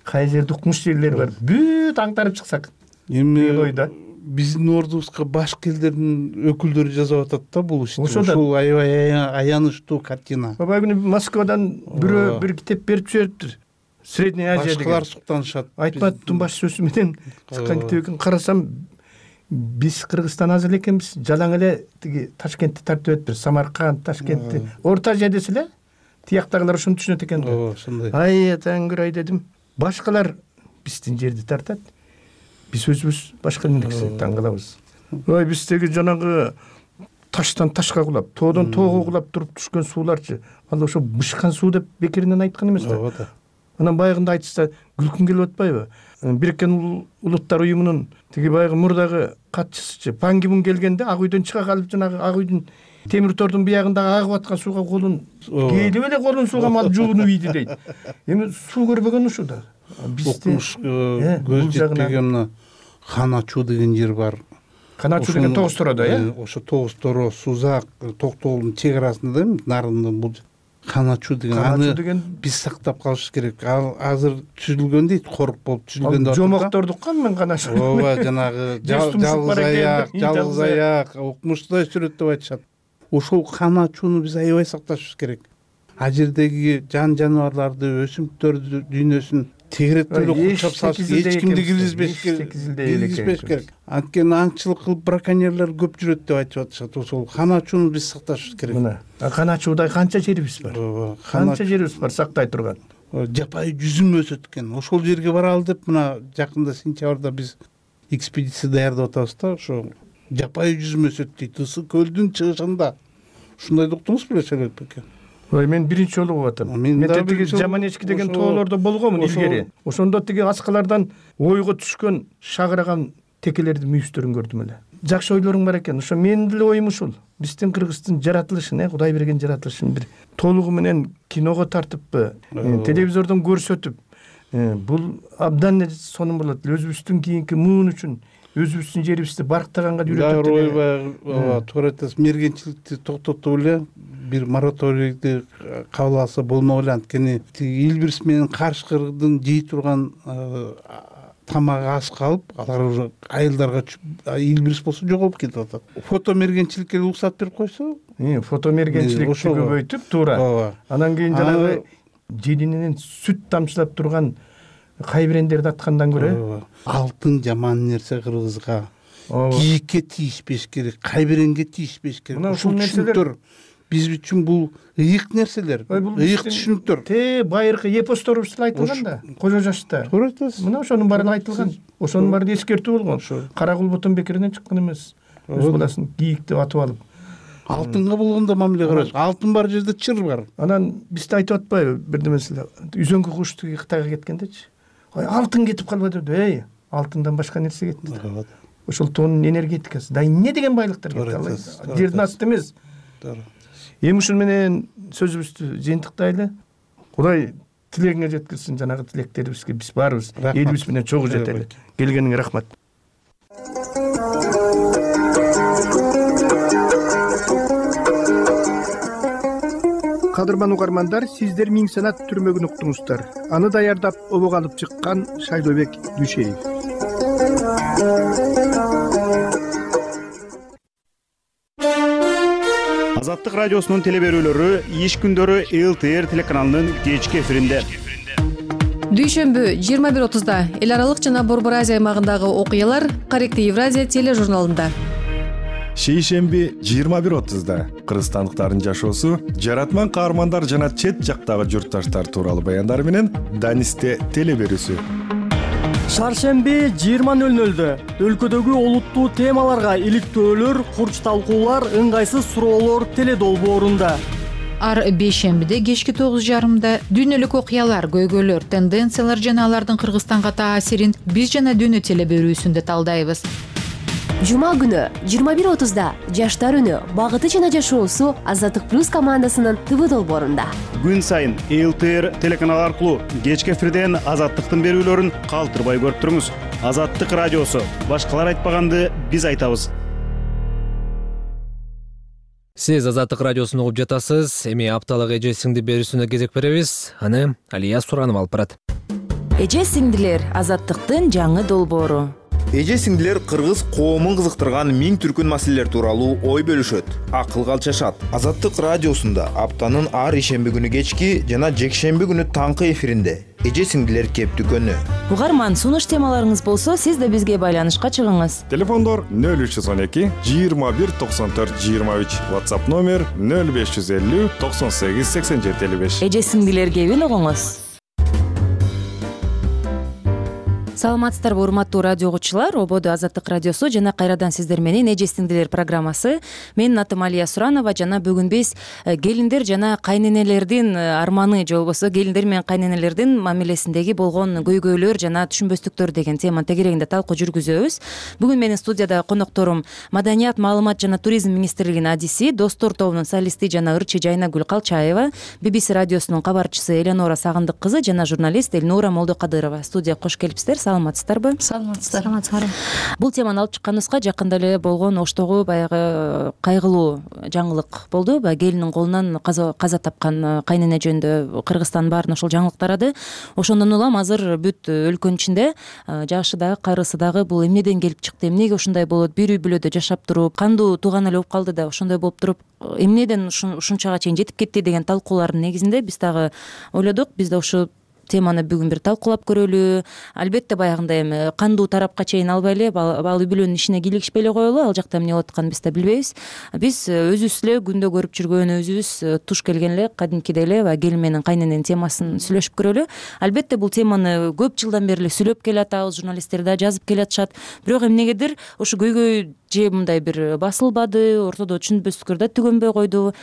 кай жерде укмуш жерлери бар, бүт аңтарып чыксак. Эми ойда биздин ордубузга башка элдердин өкүлдөрү жасап атат да бул ишти. Ушул аябай аянычтуу картина. Бабай күнү Москвадан бирөө бир китеп берип жибериптир. Средняя Азия деген. Башкалар суктанышат. Айтматовдун баш сөзү менен чыккан китеп экен. Карасам биз Кыргызстан аз эле экенбиз. Жалаң эле тиги Ташкентти тартып өтүптүр. Самарканд, Ташкентти. Орто Азия десе эле тияктагылар ошону түшүнөт экен. Ошондой. Ай, таңгыр ай дедим. Башкалар биздин жерди тартат. Биз өзүбүз башка нерсе таң калабыз. Ой, биздеги жанагы таштан ташка кулап, тоодон тоого кулап туруп түшкөн сууларчы. Ал ошо бышкан суу деп бекеринен айткан эмес да. Анан баягында айтышса күлкүм келип атпайбы? Бириккен Улуттар уюмунун тиги баягы мурдагы катчысычы Пан Ги Мун келгенде Ак үйдөн чыга калып жанагы Ак үйдүн темир тордун биягындагы агып аткан сууга колун келип эле колун сууга малып жуунуп ийди дейт. Эми суу көрбөгөн ушул да. Бизде көз жетпеген мына Каначуу деген жер бар. Каначуу деген Тогуз Тороодо, Ошо Тогуз Торо, Сузак, Токтогулдун чек арасында да нарындын бул Каначуу деген аны биз сактап калыш керек. Ал азыр түзүлгөн дейт, корук болуп түзүлгөн деп. Жомоктордук мен Каначуу. Ооба, жанагы жалгыз аяк, укмуштай сүрөт деп айтышат. Ошол Каначууну биз аябай сакташыбыз керек. А жердеги жан жаныбарларды, өсүмдүктөрдү дүйнөсүн тегеректеп курчап салыш, эч кимди киргизбеш керек. Анткени аңчылык кылып браконьерлер көп жүрөт деп айтып атышат. Ошол Каначууну биз сакташыбыз керек. Мына Каначууда канча жерибиз бар? Канча жерибиз бар сактай турган? Жапайы жүзүм өсөт экен. Ошол жерге баралы деп мына жакында сентябрда биз экспедиция даярдап атабыз да. Ошо жапайы жүзүм өсөт дейт. Ысык көлдүн чыгышында. Ушундайды уктуңуз беле Шайлообек беке? Ой, мен биринчи жолу болуп атам. Мен тиги Жаманечки деген тоолордо болгонмун илгери. Ошондо тиги аскалардан ойго түшкөн шагыраган текелердин мүйүздөрүн көрдүм эле. Жакшы ойлоруң бар экен. Ошо менин деле оюм ушул. Биздин Кыргыздын жаратылышын, Кудай берген жаратылышын бир толугу менен киного тартыппы, телевизордон көрсөтүп, бул абдан сонун болот. Өзүбүздүн кийинки муун үчүн өзүбүздүн жерибизди барктаганга үйрөтөт. Ооба, туура айтасыз. Мергенчиликти токтотуп эле бир мораторийди кабыл алса болмок эле. Анткени Илбирс менен Карышкырдын жей турган тамагы аз калып, алар айылдарга Илбирс болсо жоголуп кетип атат. Фото мергенчиликке уруксат берип койсо, фото мергенчиликти көбөйтүп туура. Анан кийин жанагы желининен сүт тамчылап турган кайбирендерди аткандан көрө алтын жаман нерсе кыргызга. Кийикке тийишпеш керек, кайбиренге тийишпеш керек. Ушул нерселер биз үчүн бул ыйык нерселер, ыйык түшүнүктөр. Байыркы эпосторубузда айтылган да, Кожо Жашта. Туура айтасыз. Мына ошонун баары айтылган. Ошонун баары эскертүү болгон. Кара кулбутун бекеринен чыккан эмес. Өз баласын кийикти атып алып. Алтынга болгондо мамиле карайбыз. Алтын бар жерде чыр бар. Анан бизде айтып атпайбы бирдемеселер. Үзөңкү куш Кытайга кеткендечи. Ой, алтын кетип калбады деп. Алтындан башка нерсе кетти. Ошол тоонун энергетикасы. Да эмне деген байлыктар кетти? Жердин асты эмес. Эми ушун менен сөзүбүздү жыйынтыктайлы. Кудай тилегиңе жеткирсин, жанагы тилектерибизге биз баарыбыз элибиз менен чогуу жетели. Келгениңе рахмат. Кадырман угармандар, сиздер Миң санат түрмөгүн уктуңуздар. Аны даярдап обого алып чыккан Шайлообек Дүйшеев. Азаттык радиосунун теле берүүлөрү иш күндөрү ЛТР телеканалынын кечки эфиринде. Дүйшөмбү 21:30 эл аралык жана Борбор Азия аймагындагы окуялар Корректив Евразия тележурналында. Шейшемби 21:30 кыргызстандыктардын жашоосу, жаратман каармандар жана чет жактагы журтташтар тууралуу баяндар менен Данисте теле берүүсү. Шаршемби 20:00 өлкөдөгү олуттуу темаларга иликтөөлөр, курч талкуулар, ыңгайсыз суроолор теле долбоорунда. Ар бейшембиде кечки 9:30 дүйнөлүк окуялар, көйгөйлөр, тенденциялар жана алардын Кыргызстанга таасирин биз жана дүйнө теле берүүсүндө талдайбыз. Жума күнү 21:30 Жаштар үнү багыты жана жашоосу Азаттык плюс командасынын ТВ долбоорунда. Күн сайын ЛТР телеканалы аркылуу кечки эфирден Азаттыктын берүүлөрүн калтырбай көрүп туруңуз. Азаттык радиосу. Башкалар айтпаганды биз айтабыз. Сиз Азаттык радиосун угуп жатасыз. Эми апталык эже сиңди берүүсүнө кезек беребиз. Аны Алия Суранова алып барат. Эже сиңдилер Азаттыктын жаңы долбоору. Эже сиңдилер кыргыз коомун кызыктырган миң түркүн маселелер тууралуу ой бөлүшөт, акыл алчашат. Азаттык радиосунда аптанын ар ишемби күнү кечки жана жекшемби күнү таңкы эфиринде эже сиңдилер кеп дүкөнү. Угарман, сунуш темаларыңыз болсо, сиз да бизге байланышка чыгыңыз. Телефондор 0312 21 94 23, WhatsApp номер 0550 98 87 55. Эже сиңдилер кебин угуңуз. Саламатсыздарбы, урматтуу радио угуучулар. Ободо Азаттык радиосу жана кайрадан сиздер менен эже сиңдилер программасы. Менин атым Алия Суранова жана бүгүн биз келиндер жана кайненелердин арманы же болбосо келиндер менен кайненелердин мамилесиндеги болгон көйгөйлөр жана түшүнбөстүктөр деген тема тегерегинде талкуу жүргүзөбүз. Бүгүн менин студияда конокторум Маданият, маалымат жана туризм министрлигинин адиси, Достор тобунун солисти жана ырчы Жайнагүл Калчаева, BBC радиосунун кабарчысы Эленора Сагындык кызы жана журналист Элнура Молдокадырова. Студияга кош келипсиздер. Саламатсыздарбы? Саламатсыздар. Бул теманы алып чыкканыбызга жакында эле болгон оштогу баягы кайгылуу жаңылык болду. Баягы келиндин колунан каза тапкан кайнене жөнүндө Кыргызстандын баарын ошол жаңылык тарады. Ошондон улам азыр бүт өлкөнүн ичинде жашы дагы, кайрысы дагы бул эмнеден келип чыкты, эмнеге ушундай болот, бир үй бүлөдө жашап туруп, кандуу тууган эле болуп калды да ошондой болуп туруп, эмнеден ушунчага чейин жетип кетти деген талкуулардын негизинде биз дагы ойлодук, биз да ушу теманы бүгүн бир талкуулап көрөлү. Албетте баягындай эми кандуу тарапка чейин албай эле ал үй бүлөнүн ишине кийлигишпей эле коелу. Ал жакта эмне болуп атканын биз да билбейбиз. Биз өзүбүз эле күндө көрүп жүргөн, өзүбүз туш келген эле кадимкидей эле баягы келин менен кайнененин темасын сүйлөшүп көрөлү. Албетте бул теманы көп жылдан бери эле сүйлөп келатабыз, журналисттер да жазып келатышат. Бирок эмнегедир ушу көйгөй же мындай бир басылбады, ортодо түшүнбөстүктөр да түгөнбөй койду.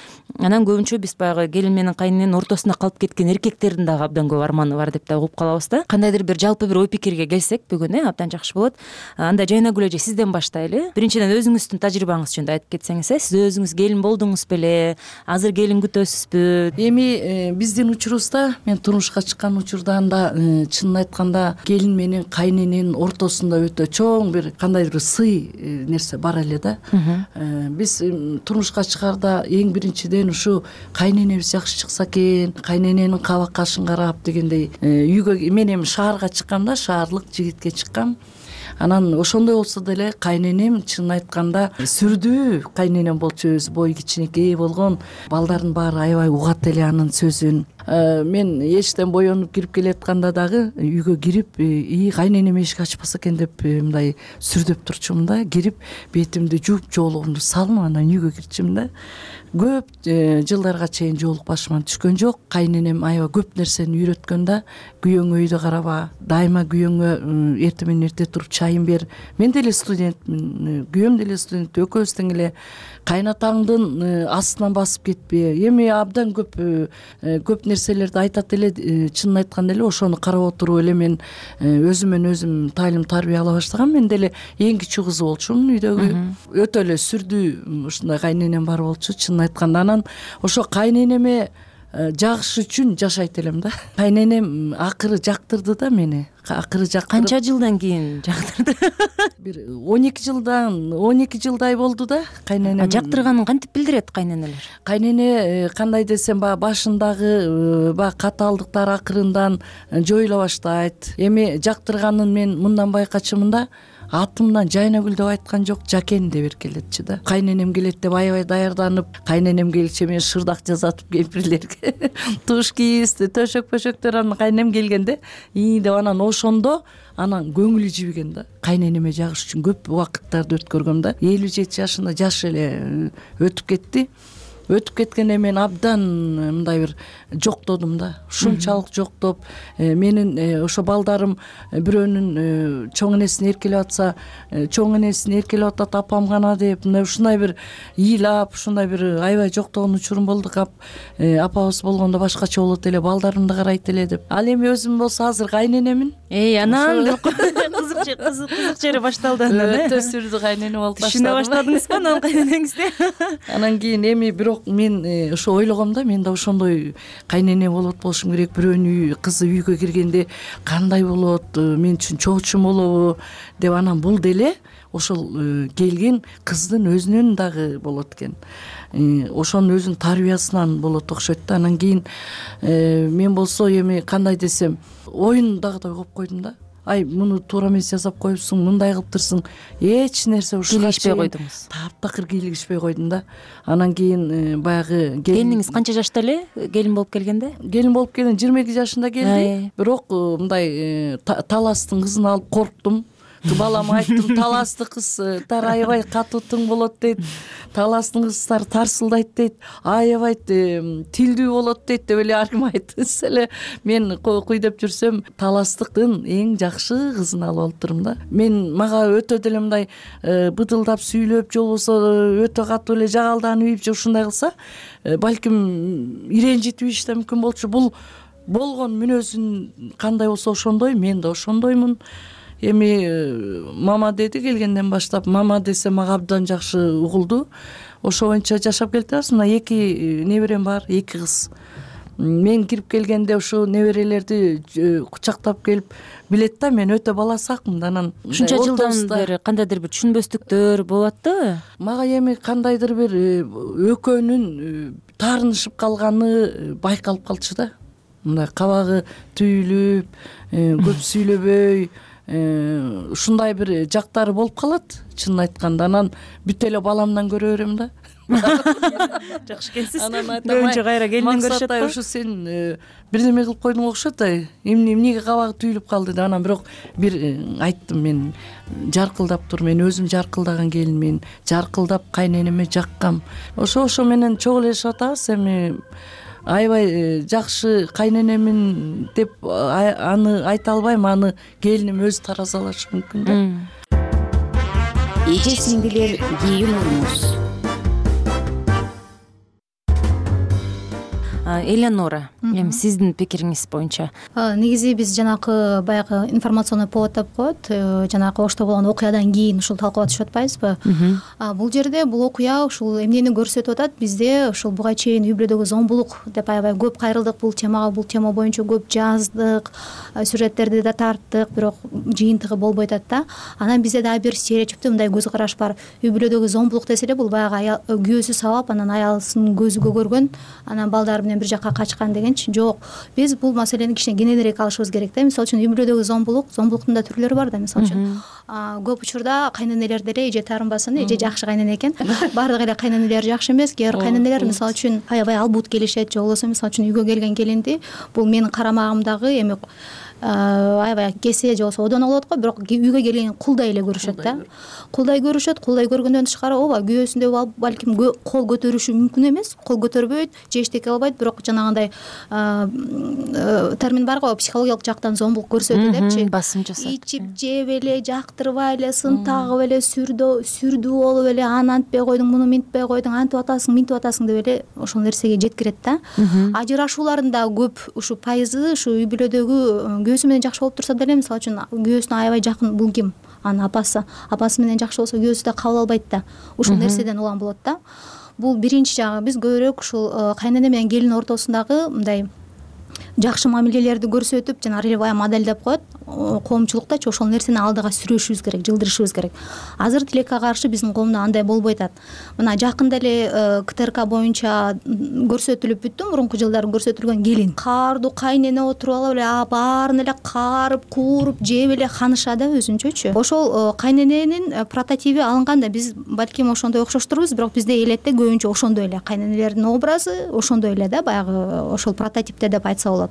Анан көбүнчө биз баягы келин менен кайнененин ортосунда калып кеткен эркектердин дагы абдан көп арманы бар деп да угуп калабыз да. Кандайдыр бир жалпы бир ой пикирге келсек бүгүн абдан жакшы болот. Анда Жайнагүл эже сизден баштайлы. Биринчиден өзүңүздүн тажрыйбаңыз жөнүндө айтып кетсеңиз, сиз өзүңүз келин болдуңуз беле? Азыр келин күтөсүзбү? Эми биздин учурубузда, мен турмушка чыккан учурда анда чынын айтканда келин менен кайнененин ортосунда өтө чоң бир кандайдыр бир сый нерсе бар эле да. Биз турмушка чыгарда эң биринчиден ушу кайненебиз жакшы чыкса экен, кайнененин каба кашын карап дегендей үйгө мен эми шаарга чыккам да, шаарлык жигитке чыккам. Анан ошондой болсо деле кайненем чынын айтканда сүрдүү кайненем болчу, өзү бою кичинекей болгон, балдардын баары аябай угат эле анын сөзүн. Мен эчтен боенуп кирип келатканда дагы үйгө кирип, кайненем эшик ачпаса экен деп мындай сүрдөп турчумун да. Кирип бетимди жууп, жоолугумду салып анан үйгө кирчүмүн да. Көп жылдарга чейин жоолук башыман түшкөн жок. Кайненем аябай көп нерсени үйрөткөн да. Күйөөңө үйдө караба, дайыма күйөөңө эртең менен эрте туруп чайын бер. Мен деле студентмин, күйөөм деле студент, экөөбүз тең эле кайнатаңдын астынан басып кетпе. Эми абдан көп нерселерди айтат эле, чынын айтканда эле ошону карап отуруп эле мен өзүмөн өзүм таалим тарбия ала баштагам. Мен деле эң кичүү кызы болчумун үйдөгү. Өтө эле сүрдүү ушундай кайненем бар болчу, чынын айтканда. Анан ошо кайненеме жагыш үчүн жашайт элем да. Кайненем акыры жактырды да мени. Акыры жактырды. Канча жылдан кийин жактырды? Бир 12 жылдай болду да кайненем. Жактырганын кантип билдирет кайненелер? Кайнене кандай десем, башындагы катаалдыктар акырындан жоюла баштайт. Эми жактырганын мен мындан байкачумун да. Атымдан Жайнагүл деп айткан жок, Жакен деп эркелетчи да. Кайненем келет деп аябай даярданып, кайненем келчи мен шырдак жасатып кемпирлерге туш кийип, төшөк-пөшөктөр анан кайненем келгенде деп анан ошондо анан көңүлү жибиген да. Кайненеме жагыш үчүн көп убакыттарды өткөргөм да. 57 жашында жаш эле өтүп кетти. Өтүп кеткенде мен абдан мындай бир жоктодум да. Ушунчалык жоктоп, менин ошо балдарым бирөөнүн чоң энесин эркелеп атса, чоң энесин эркелеп атат апам гана деп, ушундай бир ыйлап, ушундай бир аябай жоктогон учурум болду. Апабыз болгондо башкача болот эле, балдарымды карайт эле деп. Ал эми өзүм болсо азыр кайненемин. Анан кызык жери башталды анан өтө сүрдүү кайнене болуп баштадым. түшүнө баштадыңызбы анан кайненеңизди? Анан кийин эми бирок мен ошо ойлогом да, мен да ошондой кайнене болот болушум керек. Бирөөнүн кызы үйгө киргенде кандай болот, мен үчүн чоочун болобу деп, анан бул деле ошол келген кыздын өзүнөн дагы болот экен. Ошонун өзүнүн тарбиясынан болот окшойт да. Анан кийин мен болсо эми кандай десем, оюндагыдай кылып койдум да. Ай, муну туура эмес жасап коюпсуң, мындай кылыптырсың. Эч нерсе кийлигишпей койдуңуз. Таптакыр кийлигишпей койдум да. Анан кийин баягы келиниңиз канча жашта эле келин болуп келгенде? Келин болуп келген 22 жашында келди. Бирок мындай таластын кызын алып корктум. Балама айттым, таласты кыздар аябай катуу тың болот дейт. Таластын кыздар тарсылдайт дейт. Аябай тилдүү болот дейт деп эле ар ким айтса эле мен куй деп жүрсөм, таластыктын эң жакшы кызын алып алыптырмын да. Мага өтө деле мындай быдылдап сүйлөп, же болбосо өтө катуу эле жагалданып ийип же ушундай кылса, балким иренжитип ийиш да мүмкүн болчу. Бул болгон мүнөзүн кандай болсо ошондой, мен да ошондоймун. Эми мама деди келгенден баштап, мама десе мага абдан жакшы угулду. Ошо боюнча жашап келатабыз. Мына 2 неберем бар, 2 кыз. Мен кирип келгенде ошо неберелерди кучактап келип билет да, мен өтө бала сакмын. Анан ушунча жылдан бери кандайдыр бир түшүнбөстүктөр болуп аттыбы? Мага эми кандайдыр бир экөөнүн таарынышып калганы байкалып калчу да. Мындай кабагы түйүлүп, көп сүйлөбөй, ушундай бир жактары болуп калат, чынын айтканда. Анан бүт эле баламдан көрө берем да. Жакшы экенсиз. Көбүнчө кайра келинден көрүшөт да. Ушу сен бирдеме кылып койдуң окшойт, эмнеге кабагы түйүлүп калды деп. Анан бирок бир айттым, мен жаркылдап тур, мен өзүм жаркылдаган келинмин, жаркылдап кайненеме жаккам. Ошо менен чогуу элешип атабыз. Эми аябай жакшы кайненемин деп аны айта албайм, аны келиним өзү таразалашы мүмкүн да. Эже сиңдилер кийин урмуз. Элеонора, эми сиздин пикириңиз боюнча. Негизи биз жанакы баягы информационный повод деп коет, жанакы Ошто болгон окуядан кийин ушул талкуулап түшүп атпайбызбы? Бул жерде бул окуя ушул эмнени көрсөтүп атат? Бизде ушул буга чейин үй бүлөдөгү зомбулук деп аябай көп кайрылдык бул темага, бул тема боюнча көп жаздык, сюжеттерди да тарттык, бирок жыйынтыгы болбой атат да. Анан бизде дагы бир стереотиптүү мындай көз караш бар. Үй бүлөдөгү зомбулук десе эле бул баягы күйөөсү сабап, анан аялсын көзү көгөргөн, анан балдары менен бир жакка качкан дегенчи. Жок, биз бул маселени кичине кененирээк алышыбыз керек да. Мисалы үчүн үй бүлөдөгү зомбулуктун да түрлөрү бар да. Мисалы үчүн көп учурда кайненелер деле эже таарынбасын, эже жакшы кайнене экен. Баардык эле кайненелер жакшы эмес. Кээ бир кайненелер мисалы үчүн аябай албут келишет, же болбосо мисалы үчүн үйгө келген келинди бул менин карамагымдагы эми аябай кесе же болбосо одон болот го, бирок үйгө келген кулдай эле көрүшөт да. Кулдай көргөндөн тышкары ооба күйөөсүндө балким кол көтөрүшү мүмкүн эмес, кол көтөрбөйт же эчтеке кылбайт, бирок жанагындай термин бар го, психологиялык жактан зомбулук көрсөтүү депчи. Басым жасап, ичип жеп эле, жактырбай эле, сын тагып эле, сүрдүү болуп эле, аны антпей койдуң, муну минтпей койдуң, антип атасың, минтип атасың деп эле ошол нерсеге жеткирет да. Ажырашуулардын да көп ушу пайызы ушу үй бүлөдөгү күйөөсү менен жакшы болуп турса деле, мисалы үчүн күйөөсүнө аябай жакын, бул ким? Анын апасы менен жакшы болсо күйөөсү да кабыл албайт да. Ушул нерседен улам болот да. Бул биринчи жагы. Биз көбүрөөк ушул кайнене менен келин ортосундагы мындай жакшы мамилелерди көрсөтүп, жана ролевая модель деп коет, коомчулуктачы ошол нерсени алдыга сүрөшүбүз керек, жылдырышыбыз керек. Азыр тилекке каршы биздин коомдо андай болбой атат. Мына жакында эле КТРК боюнча көрсөтүлүп бүттү, мурунку жылдары көрсөтүлгөн келин каардуу кайнене отуруп алып эле баарын эле каарып, кууруп, жеп эле ханыша да өзүнчөчү. Ошол кайнененин прототиби алынган да. Биз балким ошондой окшоштурбуз, бирок бизде элетте көбүнчө ошондой эле кайненелердин образы ошондой эле да, баягы ошол прототипте деп айтса болот.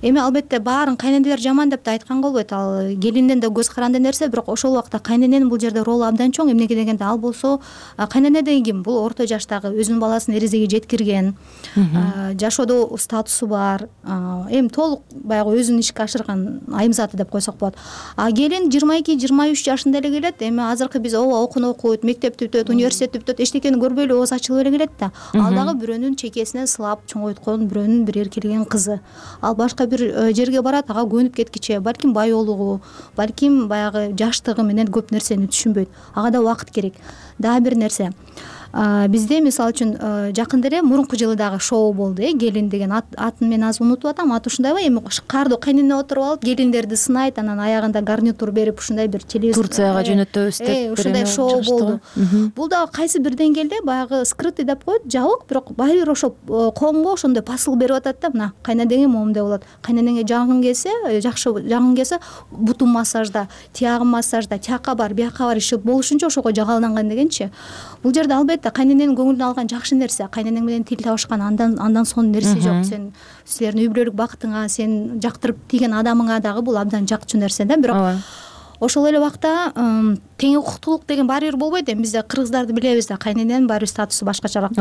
Эми албетте баарын кайненелер жаман деп да айтканга болбойт. Ал келинден да көз каранды нерсе, бирок ошол убакта кайнененин бул жерде ролу абдан чоң. Эмнеге дегенде, ал болсо кайнене деген ким? Бул орто жаштагы, өзүнүн баласын эрезеге жеткирген, жашоодо статусу бар, эми толук баягы өзүн ишке ашырган айымзаты деп койсок болот. А келин 22-23 жашында эле келет. Эми азыркы биз ооба окууну окуйт, мектепти бүтөт, университетти бүтөт, эчтекени көрбөй эле ооз ачылып эле келет да. Ал дагы бирөөнүн чекесинен сылап чоңойткон, бирөөнүн бир эркелеген кызы. да. Ал башка бир жерге барат, ага көнүп кеткиче, балким баyoолугу, балким баягы жаштыгы менен көп нерсени түшүнбөйт. Ага да убакыт керек. Дагы бир нерсе. Бизде мисалы үчүн жакында эле мурунку жылы дагы шоу болду, келин деген атын мен азыр унутуп атам. Аты ушундайбы, эми кардуу кайнене отуруп алып, келиндерди сынайт, анан аягында гарнитур берип ушундай бир телевизор Турцияга жөнөтөбүз деп ушундай шоу болду. Бул дагы кайсы бир деңгээлде баягы скрытый деп коет, жабык, бирок баары бир ошо коомго ошондой посыл берип атат да. Мына кайненеңе моундай болот, кайненеңе жагың келсе, жакшы жагың келсе, бутун массажда, тиягың массажда, тияка бар, бияка бар, иши болушунча ошого жагаланган дегенчи. Бул жерде албетте кайнененин көңүлүн алган жакшы нерсе, кайненең менен тил табышкан, андан сонун нерсе жок. Силердин үй бүлөлүк бакытыңа, сен жактырып тийген адамыңа дагы бул абдан жакчу нерсе да. Бирок ошол эле убакта тең укуктуулук деген баары бир болбойт. Эми бизде кыргыздарды билебиз да, кайнененин баары бир статусу башкачараак.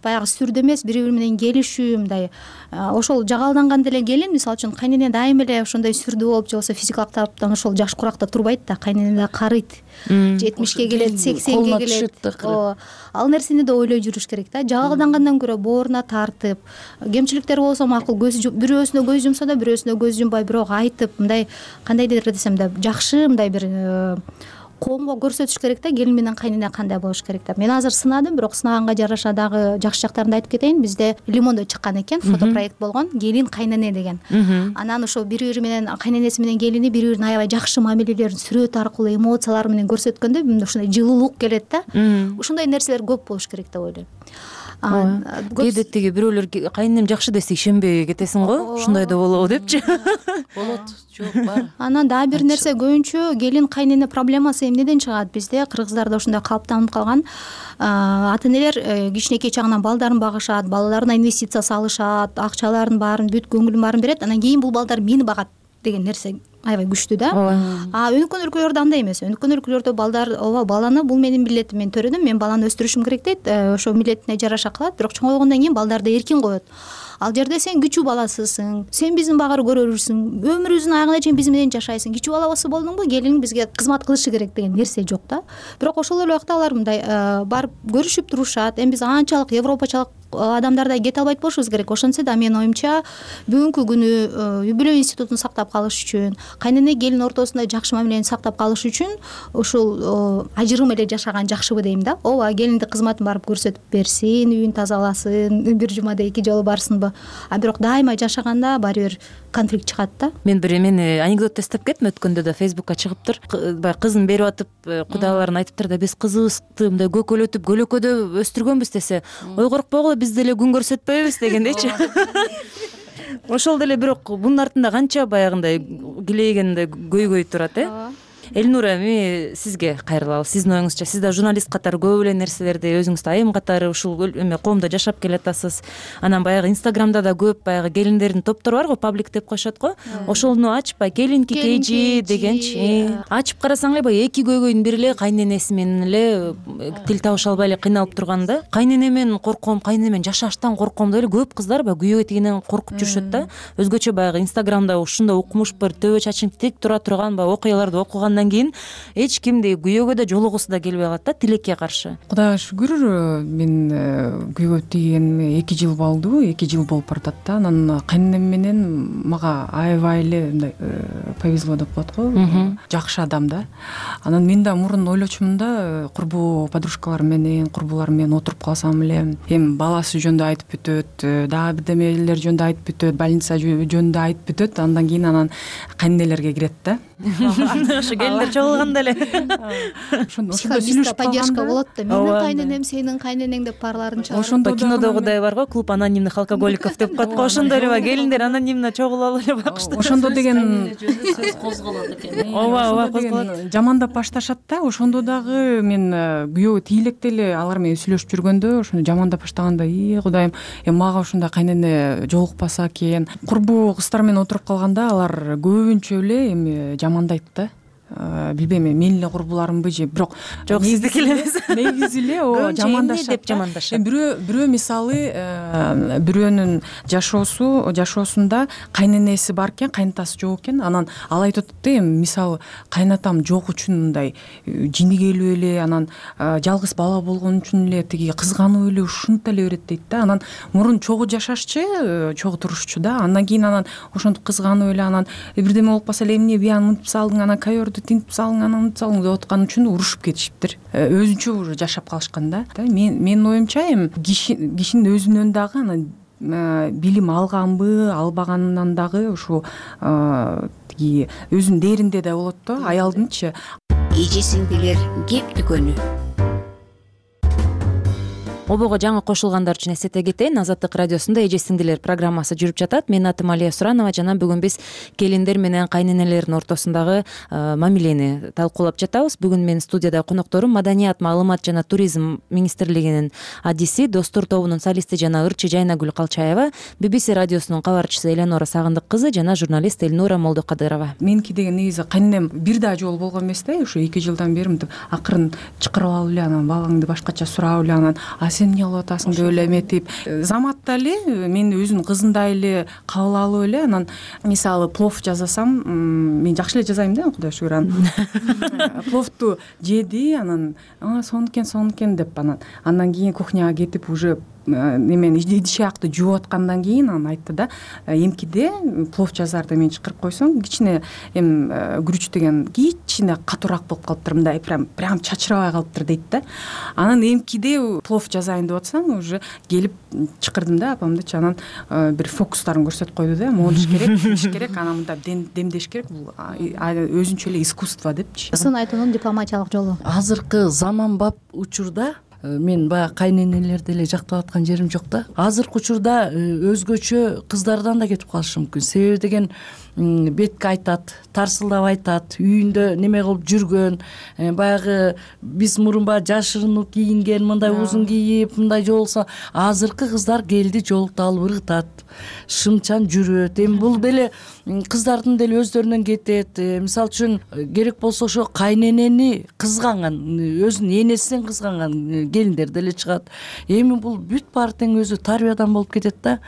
Баягы сүрдө эмес, бири бири менен келишүү, мындай ошол жагалданганда эле келин, мисалы үчүн кайнене дайыма эле ошондой сүрдүү болуп, же болбосо физикалык тараптан ошол жаш куракта турбайт да. Кайнене да карыйт, 70ке келет, 80ге келет. Ал нерсени да ойлой жүрүш керек да. Жагалдангандан көрө бооруна тартып, кемчиликтер болсо макул, бирөөсүнө көз жумса да бирөөсүнө көз жумбай, бирок айтып, мындай кандайдыр десем да жакшы, мындай бир коомго көрсөтүш керек да, келин менен кайнене кандай болуш керек деп. Мен азыр сынадым, бирок сынаганга жараша дагы жакшы жактарын да айтып кетейин. Бизде Лимондо чыккан экен, фотопроект болгон, келин кайнене деген. Анан ошо бири бири менен кайненеси менен келини бири бирин аябай жакшы мамилелерин сүрөт аркылуу, эмоциялары менен көрсөткөндө ушундай жылуулук келет да. Ушундай нерселер көп болуш керек деп ойлойм. Кээде тиги бирөөлөр кайненем жакшы десе ишенбей кетесиң го, ушундай да болобу депчи. Болот, жок бар. Анан дагы бир нерсе, көбүнчө келин кайнене проблемасы эмнеден чыгат? Бизде кыргыздарда ушундай калыптанып калган, ата энелер кичинекей чагынан балдарын багышат, балаларына инвестиция салышат, акчаларын баарын бүт көңүлүн баарын берет, анан кийин бул балдар мени багат деген нерсе аябай күчтүү да. Өнүккөн өлкөлөрдө андай эмес. Өнүккөн өлкөлөрдө балдар, ооба, баланы бул менин милдетим, мен төрөдүм, мен баланы өстүрүшүм керек дейт, ошо милдетине жараша кылат, бирок чоңойгондон кийин балдарды эркин коет. Ал жерде сен күчүү баласысың, сен биздин багары көрөрүрсүң, өмүрүңдүн аягына чейин биз менен жашайсың, күчүү баласы болдуңбу, келиниң бизге кызмат кылышы керек деген нерсе жок да. Бирок ошол эле убакта алар мындай барып көрүшүп турушат. Эми биз анчалык европачалык адамдардай кете албайт болушубуз керек. Ошентсе да менин оюмча бүгүнкү күнү үй бүлө институтун сактап калыш үчүн, кайнене келин ортосунда жакшы мамилени сактап калыш үчүн ушул ажырым эле жашаган жакшыбы дейм да. Ооба, келинди кызматын барып көрсөтүп берсин, үйүн тазаласын, бир жумада 2 жолу барсынбы. Бирок дайыма жашаганда баары бир конфликт чыгат да. Мен анекдот эстеп кеттим, өткөндө да Фейсбукка чыгыптыр. Баягы кызын берип атып, кудайларын айтыптыр да, биз кызыбызды мындай көкөлөтүп, көлөкөдө өстүргөнбүз десе, ой коркпогула, биз деле күн көрсөтпөйбүз дегендейчи. Ошол деле бирок бунун артында канча баягындай килейгенде көйгөй турат, Элнура, эми сизге кайрылалы. Сиздин оюңузча, сиз да журналист катары көп эле нерселерди өзүңүз айым катары ушул коомдо жашап келатасыз. Анан баягы Инстаграмда да көп баягы келиндердин топтору бар го, паблик деп коюшат го. Ошону ачпай, келинки кейжи дегенчи. Ачып карасаң эле баягы эки көйгөйдүн бири эле кайненеси менен эле тил табыша албай эле кыйналып турганда, кайненемен корком, кайненемен жашаштан корком деп эле көп кыздар баягы күйөөгө тийгенен коркуп жүрүшөт да. Өзгөчө баягы Инстаграмда ушундай укмуш бір төбө чачың тик тура турган баягы окуяларды окугандан кийин эч кимди күйөөгө да жолугусу да келбей калат да, тилекке каршы. Кудайга шүгүр, мен күйөөгө тийгениме 2 жыл болду, 2 жыл болуп баратат да. Анан кайненем менен мага аябай эле мындай повезло деп коет го, жакшы адам да. Анан мен да мурун ойлочумун да, курбу подружкаларым менен, курбуларым менен отуруп калсам эле, эми баласы жөнүндө айтып бүтөт, дагы бирдемелер жөнүндө айтып бүтөт, больница жөнүндө айтып бүтөт, андан кийин анан кайненелерге кирет да. Ошо келиндер чогулганда эле ошондо поддержка болот да. Менин кайненем, сенин кайненең деп баарларын чыгарып. Ошондо кинодогудай бар го, клуб анонимных алкоголиков деп коет го, ошондой эле келиндер анонимно чогулуп эле бакыштыр. Ошондо деген сөз козголот экен. Ооба, козголот. Жамандап башташат да. Ошондо дагы мен күйөөгө тийлекте эле алар менен сүйлөшүп жүргөндө ошону жамандап баштаганда, Кудайым, мага ушундай кайнене жолукпаса экен. Курбу кыздар менен отуруп калганда алар көбүнчө эле эми жамандайт да. билбейм менин эле курбуларымбы же бирок жок сиздики эле эмес негизи эле ооба жамандашат деп жамандашат. Бирөө мисалы бирөөнүн жашоосунда кайненеси бар экен, кайнатасы жок экен, анан ал айтып атат да, эми мисалы кайнатам жок үчүн мындай жини келип эле, анан жалгыз бала болгон үчүн эле тиги кызганып эле ушинте эле берет дейт да. Анан мурун чогуу жашашчы, чогуу турушчу да, андан кийин анан ошентип кызганып эле, анан бирдеме болуп калса эле эмне бияны мынтип салдың, анан ковёрдү тинтип салдың, анан мынтип салдың деп аткан үчүн урушуп кетишиптир. Өзүнчө уже жашап калышкан да. Менин оюмча эми кишинин өзүнөн дагы анан билим алганбы, албаганынан дагы ушу тиги өзүнүн дээринде да болот да, аялдынчы. Эже-сиңдилер кеп дүкөнү. Обого жаңы кошулгандар үчүн эсете кетейин, Азаттык радиосунда Эже-сиңдилер программасы жүрүп жатат. Менин атым Алия Суранова жана бүгүн биз келиндер менен кайненелердин ортосундагы мамилени талкуулап жатабыз. Бүгүн менин студияда конокторум Маданият, маалымат жана туризм министрлигинин адиси, Достор тобунун солисти жана ырчы Жайнагүл Калчаева, BBC радиосунун кабарчысы Эленора Сагындык кызы жана журналист Элнура Молдокадырова. Меники деген негизи кайненем бир да жолу болгон эмес да, ушу 2 жылдан бери мынтип акырын чакырып алып эле, анан балаңды башкача сурап эле, анан сен эмне кылып атасың деп эле эметип, заматта эле мени өзүнүн кызындай эле кабыл алып эле, анан мисалы плов жасасам, мен жакшы эле жасайм да, Кудайга шүгүр. Анан пловду жеди, анан сонукен деп, андан кийин кухняга кетип уже немени идиш-аякты жууп аткандан кийин анан айтты да, эмкиде плов жазарда мени чакырып койсоң, кичине эми күрүч деген кичине катуураак болуп калыптыр, мындай прям чачырабай калыптыр дейт да. Анан эмкиде плов жазайын деп атсам, уже келип чакырдым да апамдычы, анан бир фокустарын көрсөтүп койду да, монуш керек, анан мындай демдеш керек, бул өзүнчө эле искусство депчи. Сын айтуунун дипломатиялык жолу. Азыркы заманбап учурда мен баягы кайненелерди эле жактап аткан жерим жок да. Азыркы учурда өзгөчө кыздардан да кетип калышы мүмкүн. Себеби деген бетке айтат, тарсылдап айтат, үйүндө неме кылып жүргөн, баягы биз мурун баягы жашырынып кийинген, мындай узун кийип, мындай жолсо, азыркы кыздар келди жолукту алып ыргытат, шымчан жүрөт. Эми бул деле кыздардын деле өздөрүнөн кетет. Мисалы үчүн керек болсо ошо кайненени кызганган, өзүнүн энесинен кызганган келиндер деле чыгат. Эми бул бүт баары тең өзү тарбиядан болуп кетет да.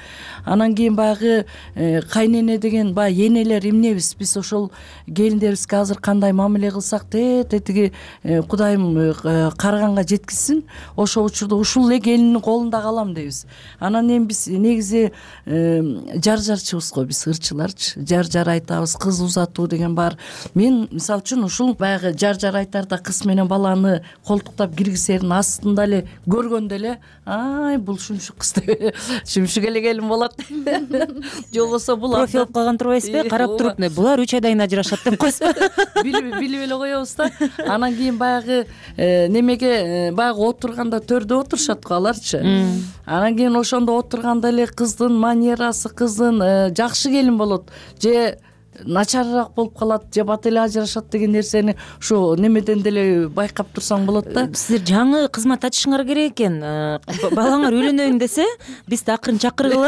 Анан кийин баягы кайнене деген баягы энелер эмнебиз, биз ошол келиндерибизге азыр кандай мамиле кылсак тетиги Кудайым карганга жеткизсин, ошол учурда ушул эле келиндин колунда калам дейбиз. Анан эми биз негизи жар-жарчыбыз го, биз ырчыларчы жар айтабыз, кыз узатуу деген бар. Мен мисалы үчүн ушул баягы жар айтарда кыз менен баланы колтуктап киргизерин астында эле көргөндө эле, ай бул шумшук кыз деп, шумшук эле келин болот. Жолбосо бул профил алып калган турбайсызбы? Карап туруп, булар 3 айдан кийин ажырашат деп койсузбу? Билип эле коебуз да. Анан кийин баягы немеге баягы отурганда төрдө отурушат го аларчы. Анан кийин ошондо отурганда эле кыздын манерасы, кыздын жакшы келин болот же начарыраак болуп калат, же бат эле ажырашат деген нерсени ушу немеден деле байкап турсаң болот да. Сиздер жаңы кызмат ачышыңар керек экен. Балаңар үйлөнөйүн десе, биз да акырын чакырып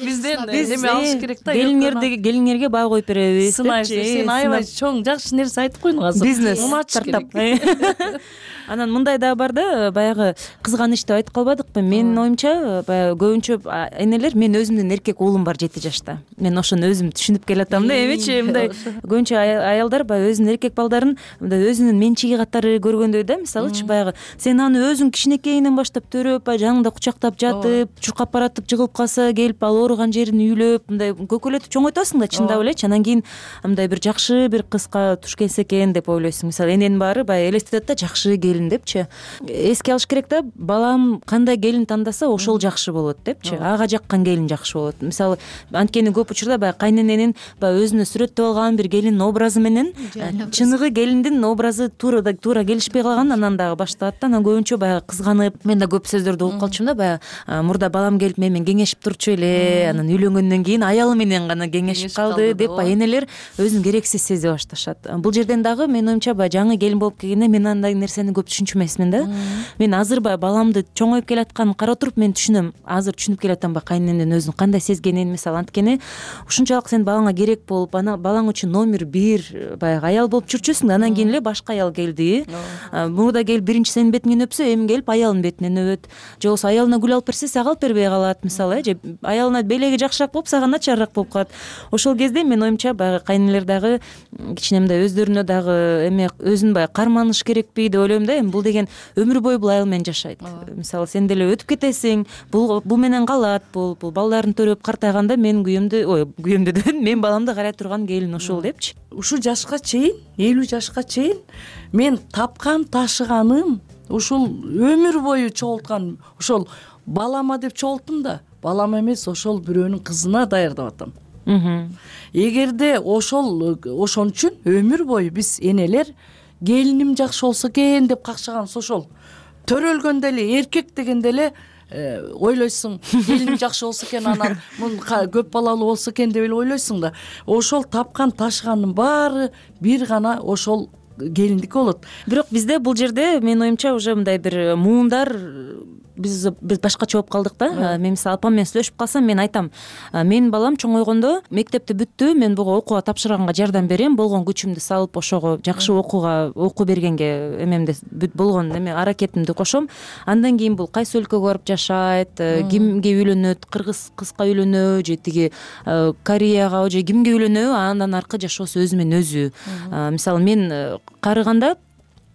бизден неме алыш керек да. Келиңерге баа коюп беребиз. Сен аябай чоң жакшы нерсе айтып койдуң азыр. Бизнес стартап. Анан мындай да бар да, баягы кызганыч деп айтып калбадыкпы? Менин оюмча, баягы көбүнчө энелер, мен өзүмдүн эркек уулум бар 7 жашта. Мен ошону өзүм түшүнүп келатам да, эмечи мындай көбүнчө аялдар баягы өзүнүн эркек балдарын мындай өзүнүн менчиги катары көргөндөй да. Мисалычы баягы сен аны өзүң кичинекейинен баштап төрөп, жаныңда кучактап жатып, чуркап баратып жыгылып калса келип ал ооруган жерин үйлөп, мындай көкөлөтүп чоңойтосуң да, чындап элечи. Анан кийин мындай бир жакшы бир кызга туш келсе экен деп ойлойсуң. Мисалы эненин баары баягы элестетет да, жакшы депчи. Эске алыш керек да, балам кандай келин тандаса ошол жакшы болот депчи. Ага жаккан келин жакшы болот. Мисалы анткени көп учурда баягы кайнененин баягы өзүнө сүрөттөп алган бир келиндин образы менен чыныгы келиндин образы туура келишпей калган, анан дагы башталат да. Анан көбүнчө баягы кызганып, мен да көп сөздөрдү угуп калчумун да, баягы мурда балам келип менен кеңешип турчу эле, анан үйлөнгөндөн кийин аялы менен гана кеңешип калды деп энелер өзүн керексиз сезе башташат. Бул жерден дагы менин оюмча баягы жаңы келин болуп келгенде мен андай нерсени көп түшүнчү эмесмин да. Мен азыр баягы баламды чоңоюп келатканын карап туруп мен түшүнөм. Азыр түшүнүп келатам баягы кайненемдин өзүн кандай сезгенин. Мисалы анткени ушунчалык сен балаңа керек элек болуп анан балаң үчүн номер 1 баягы аял болуп жүрчүсүң да анан кийин эле башка аял келди. Мурда келип биринчи сенин бетиңен өпсө эми келип аялынын бетинен өбөт же болбосо аялына гүл алып берсе сага алып бербей калат мисалы же аялына белеги жакшыраак болуп сага начарыраак болуп калат. Ошол кезде менин оюмча баягы кайнэнелер дагы кичине мындай өздөрүнө дагы эме өзүн баягы карманыш керекпи деп ойлойм да. Эми бул деген өмүр бою бул аял менен жашайт. Мисалы сен деле өтүп кетесиң, бул менен калат, бул балдарын төрөп картайганда менин күйөөмдү дебедим, менин баламды карай турган келин ушул депчи. Ушул жашка чейин 50 жашка чейин мен тапкан ташыганым ушул өмүр бою чогулткан ошол балама деп чогулттум да. Балам эмес, ошол бирөөнүн кызына даярдап атам. Эгерде ошон үчүн өмүр бою биз энелер келиним жакшы болсо экен деп какшаганбыз. Ошол төрөлгөндө эле эркек дегенде эле ойлойсуң келиним жакшы болсо экен, анан көп балалуу болсо экен деп эле ойлойсуң да. Ошол тапкан ташыганын баары бир гана ошол келиндики болот. Бирок бизде бул жерде менин оюмча уже мындай бир муундар биз башкача болуп калдык да. Мен мисалы апам менен сүйлөшүп калсам мен айтам, менин балам чоңойгондо мектепти бүттү, мен буга окууга тапшырганга жардам берем, болгон күчүмдү салып ошого жакшы окуу бергенге эмемде болгон эме аракетимди кошом. Андан кийин бул кайсы өлкөгө барып жашайт, кимге үйлөнөт, кыргыз кызга үйлөнөбү же тиги Кореяга же кимге үйлөнөбү, андан аркы жашоосу өзү менен өзү. Мисалы мен карыганда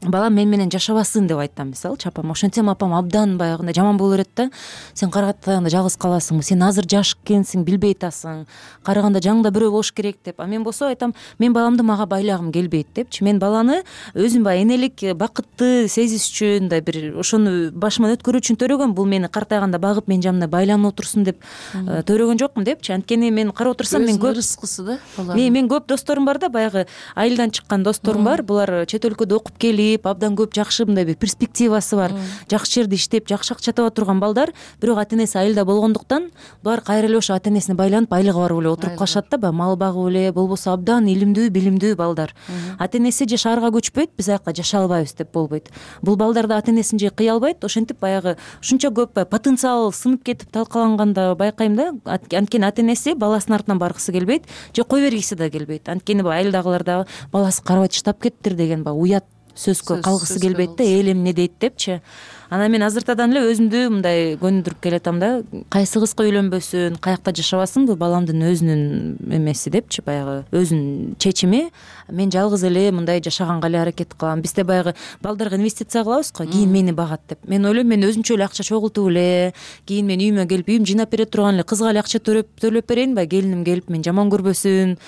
балам мен менен жашабасын деп айтам мисалы. Чапам ошентсем апам абдан баягындай жаман боло берет да. Сен карыганда жалгыз каласың, сен азыр жаш экенсиң, билбей атасың, карыганда жаңда бирөө болуш керек деп. А мен болсо айтам, мен баламды мага байлагым келбейт депчи. Мен баланы өзүм баягы энелик бакытты сезиш үчүн да бир ошону башыман өткөрүү үчүн төрөгөм. Бул мени картайганда багып мен жанымда байланып отурсун деп төрөгөн жокмун депчи. Анткени мен карап отурсам мен көп рызкысы да. Мен көп досторум бар да, баягы айылдан чыккан досторум бар. Булар чет өлкөдө окуп келип, абдан көп жакшы мындай бир перспективасы бар, жакшы жерде иштеп, жакшы акча таба турган балдар, бирок ата энеси айылда болгондуктан булар кайра эле ошо ата энесине байланып, айлыгы бар эле отуруп калышат да, баягы мал багып эле, болбосо абдан илимдүү, билимдүү балдар. Ата энеси же шаарга көчпөйт, биз аякта жашай албайбыз деп болбойт. Бул балдар да ата энесин же кыя албайт, ошентип баягы ушунча көп потенциал сынып кетип талкаланганда байкайм да. Анткени ата энеси баласынын артынан баргысы келбейт, же кой бергиси да келбейт. Анткени баягы айылдагылар дагы баласы карабай таштап кеттир деген баягы уят сөзгө калгысы келбейт да, эл эмне дейт депчи. Анан мен азыртадан эле өзүмдү мындай көндүрүп келатам да, кайсы кызга үйлөнбөсүн, каякта жашабасын, бул баламдын өзүнүн эмеси депчи, баягы өзүнүн чечими. Мен жалгыз эле мындай жашаганга эле аракет кылам. Бизде баягы балдарга инвестиция кылабыз го, кийин мени багат деп. Мен ойлойм, мен өзүмчө эле акча чогултуп эле, кийин мен үйүмө келип, үйүм жыйнап бере турган эле кызга эле акча төлөп берейин, баягы келиним келип мен жаман көрбөсүн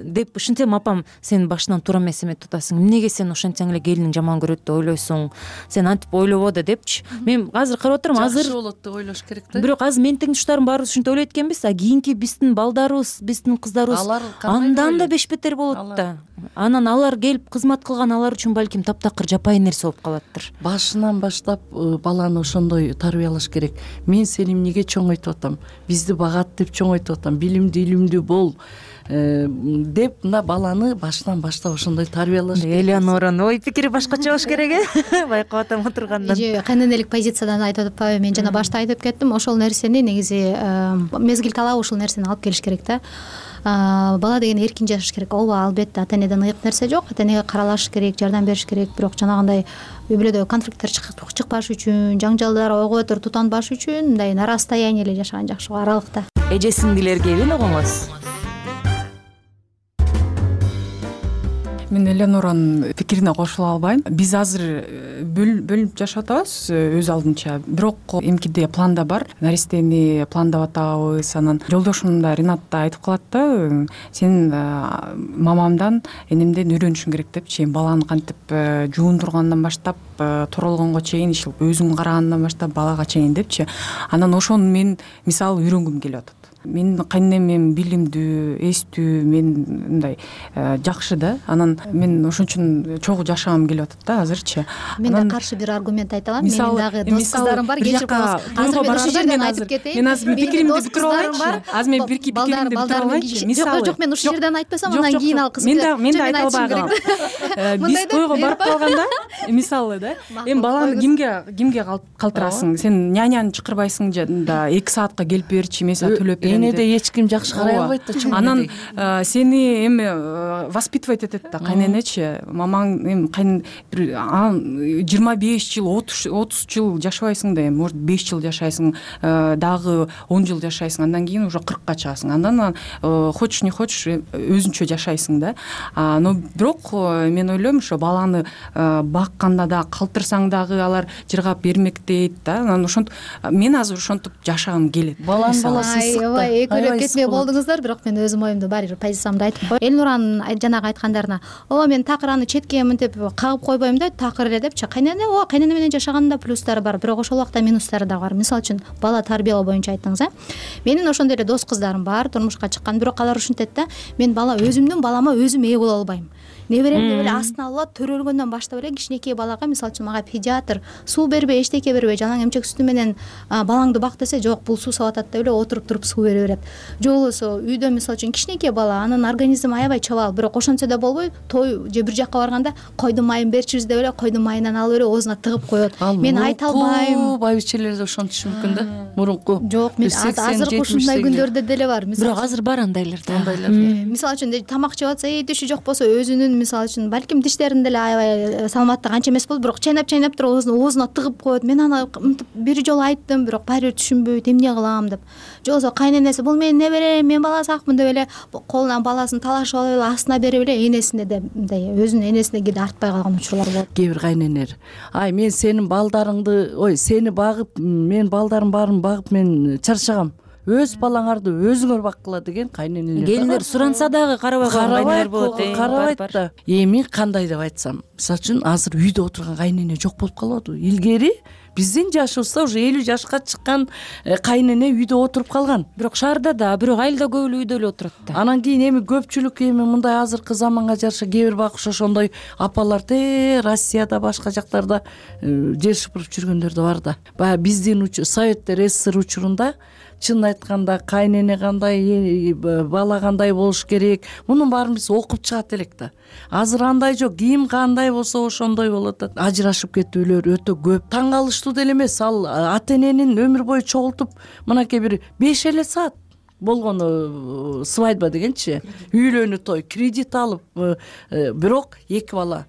деп. Ушинтсем апам, сен башынан туура эмес эметип атасың. Эмнеге сен ошентсең эле келиниң жаман көрөт деп ойлойсуң? Сен антип ойлобо да депчи. Мен азыр карап отурам, азыр жакшы болот деп ойлош керек да. Бирок азыр менин теңдештарым баарыбыз ушинтип ойлойт экенбиз, а кийинки биздин балдарыбыз, биздин кыздарыбыз андан да беш бетер болот да. Анан алар келип кызмат кылган, алар үчүн балким таптакыр жапайы нерсе болуп калаттыр. Башынан баштап баланы ошондой тарбиялаш керек. Мен сени эмнеге чоңойтуп атам? Бизди багат деп чоңойтуп атам. Билимдүү, илимдүү бол деп мына баланы башынан баштап ошондой тарбиялаш керек. Элеоноранын ой пикири башкача болуш керек э. Байкап атам отургандан. Же кайненелик позициядан айтып атпайбы? Мен жана башта айтып кеттим, ошол нерсени негизи мезгил талап ушул нерсени алып келиш керек да. Бала деген эркин жашаш керек. Ооба, албетте ата энеден ыйык нерсе жок. Ата энеге каралаш керек, жардам бериш керек. Бирок жанагындай үй бүлөдө конфликттер чыкпаш үчүн, жаңжалдар ойго өтөр тутанбаш үчүн мындай на расстояние эле жашаган жакшы го, аралыкта. Эже сиңдилер келин огоңуз. Мен Элеоноранын пикирине кошула албайм. Биз азыр бөлүнүп жашап атабыз өз алдынча. Бирок эмкиде планда бар. Наристени пландап атабыз. Анан жолдошум да, Ринат да айтып калат да, сен мамамдан, энемден үйрөнүшүң керек депчи. Баланы кантип жуундургандан баштап туралгонго чейин, өзүң карагандан баштап балага чейин депчи. Анан ошону мен мисалы үйрөнгүм келип атат. Менин кайненем билимдүү, эстүү, мен мындай жакшы да. Анан мен ошон үчүн чогуу жашагым келип атат да азырчы. Мен да каршы бир аргумент айта алам. Менин дагы дос кыздарым бар, кечирип коебуз. Азыр мен ушул жерден айтып кетейин. Мен азыр пикиримди бүтүрүп алайынчы. Азыр мен пикиримди бүтүрүп алайынчы. Жок, мен ушул жерден айтпасам, анан кийин ал кыз мен да айта албайм. Биз тойго барып калганда, мисалы да, эми баланы кимге калтырасың? Сен няняны чакырбайсың да, 2 саатка келип берчи, мен сага төлөп фиренде энеде эч ким жакшы карай албайт да чоң. Анан сени эми воспитывать этет да кайненечи. Мамаң эми бир 25 жыл 30 жыл жашабайсың да эми может 5 жыл жашайсың, дагы 10 жыл жашайсың, андан кийин уже 40-ка чыгасың. Андан хочешь не хочешь өзүнчө жашайсың да. Но бирок мен ойлойм ошо баланы бакканда да калтырсаң дагы алар жыргап бермектейт да. Анан ошентип мен азыр ошентип жашагым келет. Баланын баласын сыкта. Экөөлөп кетмей болдуңуздар, бирок мен өзүм оюмду баары бир позициямды айтып коеюн. Элнуранын жанагы айткандарына мен такыраны четке мынтип кагып койбойм да, такыр эле депчи. Кайнене менен жашагандын да плюстары бар, бирок ошол убакта минустары да бар. Мисалы үчүн бала тарбиялоо боюнча айттыңыз, менин ошондой эле дос кыздарым бар, турмушка чыккан, бирок алар ушинтет да, мен өзүмдүн балама өзүм ээ боло албайм. Неберемди эле астына алып төрөлгөндөн баштап эле кичинекей балага, мисалы үчүн мага педиатр суу бербей, эчтеке бербей, жалаң эмчек сүтү менен балаңды бак десе, жок, бул суу сап атат деп эле отуруп туруп суу бере берет. Же болбосо үйдө мисалы үчүн кичинекей бала, анын организми аябай чабал, бирок ошентсе да болбой, той же бир жакка барганда койдун майын берчибиз деп эле койдун майынан алып эле оозуна тыгып коет. Мен айта албайм. Байбичелер да ошентиши мүмкүн да. Мурунку. Жок, мен азыркы ушундай күндөрдө деле бар. Бирок азыр бар андайлар да. Мисалы үчүн тамак жеп атса, тиши жок болсо өзүнүн мисалы үчүн балким тиштерин деле аябай саламаттык анча эмес болду, бирок чайнап туруп оозуна тыгып коет. Мен аны бир жолу айттым, бирок баары бир түшүнбөйт, эмне кылам деп. Же болбосо кайненеси бул менин неберем, мен баласакмын деп эле колунан баласын талашып алып эле астына берип эле энесине де мындай өзүнүн энесине кээде артпай калган учурлар болот. Кээ бир кайненелер мен сенин балдарыңды, сени багып, мен балдарым баарын багып мен чарчагам, өз балаңарды өзүңөр баккыла деген кайненелер. Келиндер суранса дагы карабай койгон кайненелер болот. Карабайт да. Эми кандай деп айтсам, мисалы үчүн азыр үйдө отурган кайнене жок болуп калбадыбы? Илгери биздин жашыбызда уже 50 жашка чыккан кайнене үйдө отуруп калган. Бирок шаарда да, бирок айылда көп эле үйдө эле отурат да. Анан кийин эми көпчүлүк мындай азыркы заманга жараша кээ бир багыш ошондой апалар Россияда башка жактарда жер шыпырып жүргөндөр да бар да. Баягы биздин Советтер СССР учурунда чын айтканда кайнене кандай, бала кандай болуш керек, мунун баарын биз окуп чыгат элек да. Азыр андай жок, ким кандай болсо ошондой болот да. Ажырашып кетүүлөр өтө көп. Таң калыштуу деле эмес, ал ата эненин өмүр бою чогултуп, мынакей бир 5 эле саат болгону свадьба дегенчи, үйлөнүү той, кредит алып, бирок 2 бала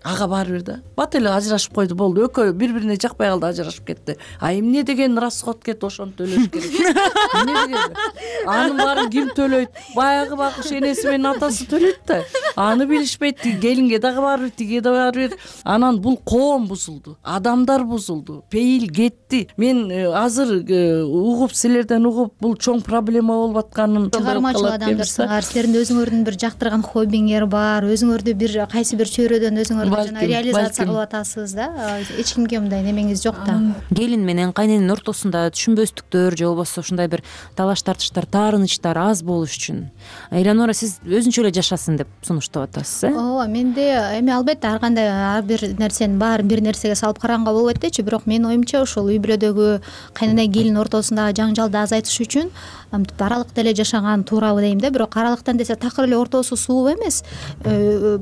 ага баары бир да. Бат эле ажырашып койду, болду. Экөө бири-бирине жакпай калды, ажырашып кетти. Эмне деген расход кетти, ошону төлөш керек. Эмне деген? Анын баарын ким төлөйт? Баягы багыш энеси менен атасы төлөйт да. Аны билишпейт. Келинге дагы баары бир, тиге да баары бир. Анан бул коом бузулду, адамдар бузулду, пейил кетти. Мен азыр угуп, силерден угуп, бул чоң проблема болуп атканын чыгармачыл адамдарсыңар. Силердин өзүңөрдүн бир жактырган хоббиңер бар, өзүңөрдү бир кайсы бир чөйрөдөн өзүңөр реализация кылып атасыз да. Эч кимге мындай немеңиз жок да. Келин менен кайнененин ортосунда түшүнбөстүктөр же болбосо ушундай бир талаш тартыштар, таарынычтар аз болуш үчүн Эланора, сиз өзүнчө эле жашасын деп сунуштап атасыз, Ооба, менде эми албетте ар кандай ар бир нерсенин баарын бир нерсеге салып караганга болбойт дечи, бирок менин оюмча ошол үй бүлөдөгү кайнене келин ортосундагы жаңжалды азайтыш үчүн аралыкта эле жашаган туурабы дейм да. Бирок аралыктан десе такыр эле ортосу сууп эмес,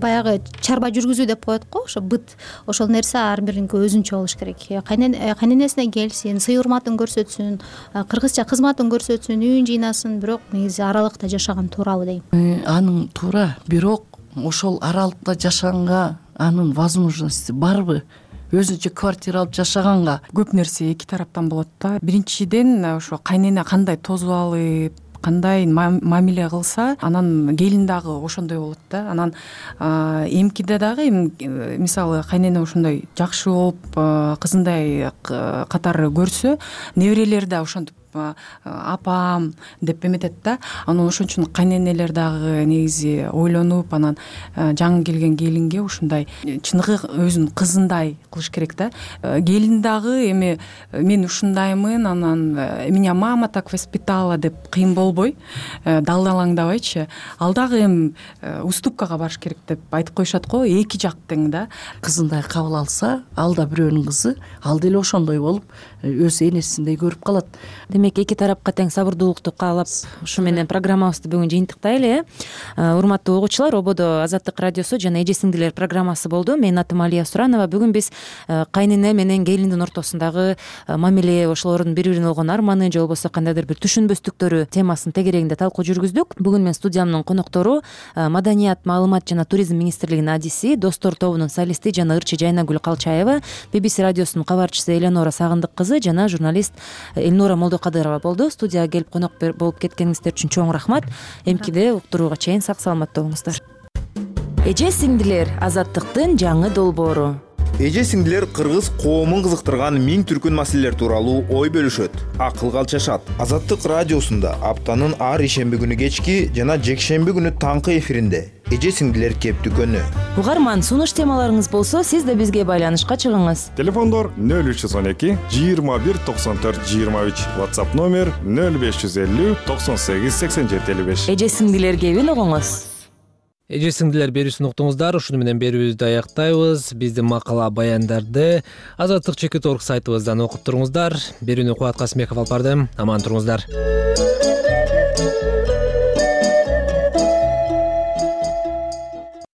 баягы чарба жүргүзүү деп коет го, ошо быт, ошол нерсе ар бириники өзүнчө болуш керек. Кайненесине келсин, сый урматын көрсөтсүн, кыргызча кызматын көрсөтсүн, үйүн жыйнасын, бирок негизи аралыкта жашаган туурабы дейм. Анын туура, бирок ошол аралыкта жашаганга анын возможности барбы? Өзүнчө квартира алып жашаганга көп нерсе эки тараптан болот да. Биринчиден ошо кайнене кандай тосуп алып, кандай мамиле кылса, анан келин дагы ошондой болот да. Анан эмкиде дагы мисалы кайнене ошондой жакшы болуп, кызындай катары көрсө, неберелер да ошентип апам деп эметет да. Анан ошон үчүн кайненелер дагы негизи ойлонуп, анан жаңы келген келинге ушундай чыныгы өзүнүн кызындай кылыш керек да. Келин дагы эми мен ушундаймын, анан меня мама так воспитала деп кыйын болбой, далдалаңдабайчы, ал дагы эми уступкага барыш керек деп айтып коюшат го, эки жак тең да. Кызындай кабыл алса, ал да бирөөнүн кызы, ал деле ошондой болуп өз энесиндей көрүп калат. демек эки тарапка тең сабырдуулукту каалап ушу менен программабызды бүгүн жыйынтыктайлы. Урматтуу угуучулар, ободо Азаттык радиосу жана эже сиңдилер программасы болду. Менин атым Алия Суранова. Бүгүн биз кайнене менен келиндин ортосундагы мамиле, ошолордун бири бирине болгон арманы же болбосо кандайдыр бир түшүнбөстүктөрү темасынын тегерегинде талкуу жүргүздүк. Бүгүн менин студиямдын коноктору Маданият, маалымат жана туризм министрлигинин адиси, Достор тобунун солисти жана ырчы Жайнагүл Калчаева, BBC радиосунун кабарчысы Эленора Сагындык кызы жана журналист Элнура Молдокадырова болду. Студияга келип конок болуп кеткениңиздер үчүн чоң рахмат. Эмкиде уктурууга чейин сак саламатта болуңуздар. Эже сиңдилер, азаттыктын жаңы долбоору. Эже сиңдилер кыргыз коомун кызыктырган миң түркүн маселелер тууралуу ой бөлүшөт, акылга алчашат. Азаттык радиосунда аптанын ар ишемби күнү кечки жана жекшемби күнү таңкы эфиринде эже сиңдилер кептүкөнү. Угарман, сунуш темаларыңыз болсо, сиз да бизге байланышка чыгыңыз. Телефондор 0312 21 94 23, WhatsApp номер 0550 98 87 55. Эже сиңдилер кебин угуңуз. Эже сиңдилер берүүсүн уктуңуздар. Ушуну менен берүүбүздү аяктайбыз. Биздин макала баяндарды Азаттык.org сайтыбыздан окуп туруңуздар. Берүүнү Кубат Касымбеков алып барды. Аман туруңуздар.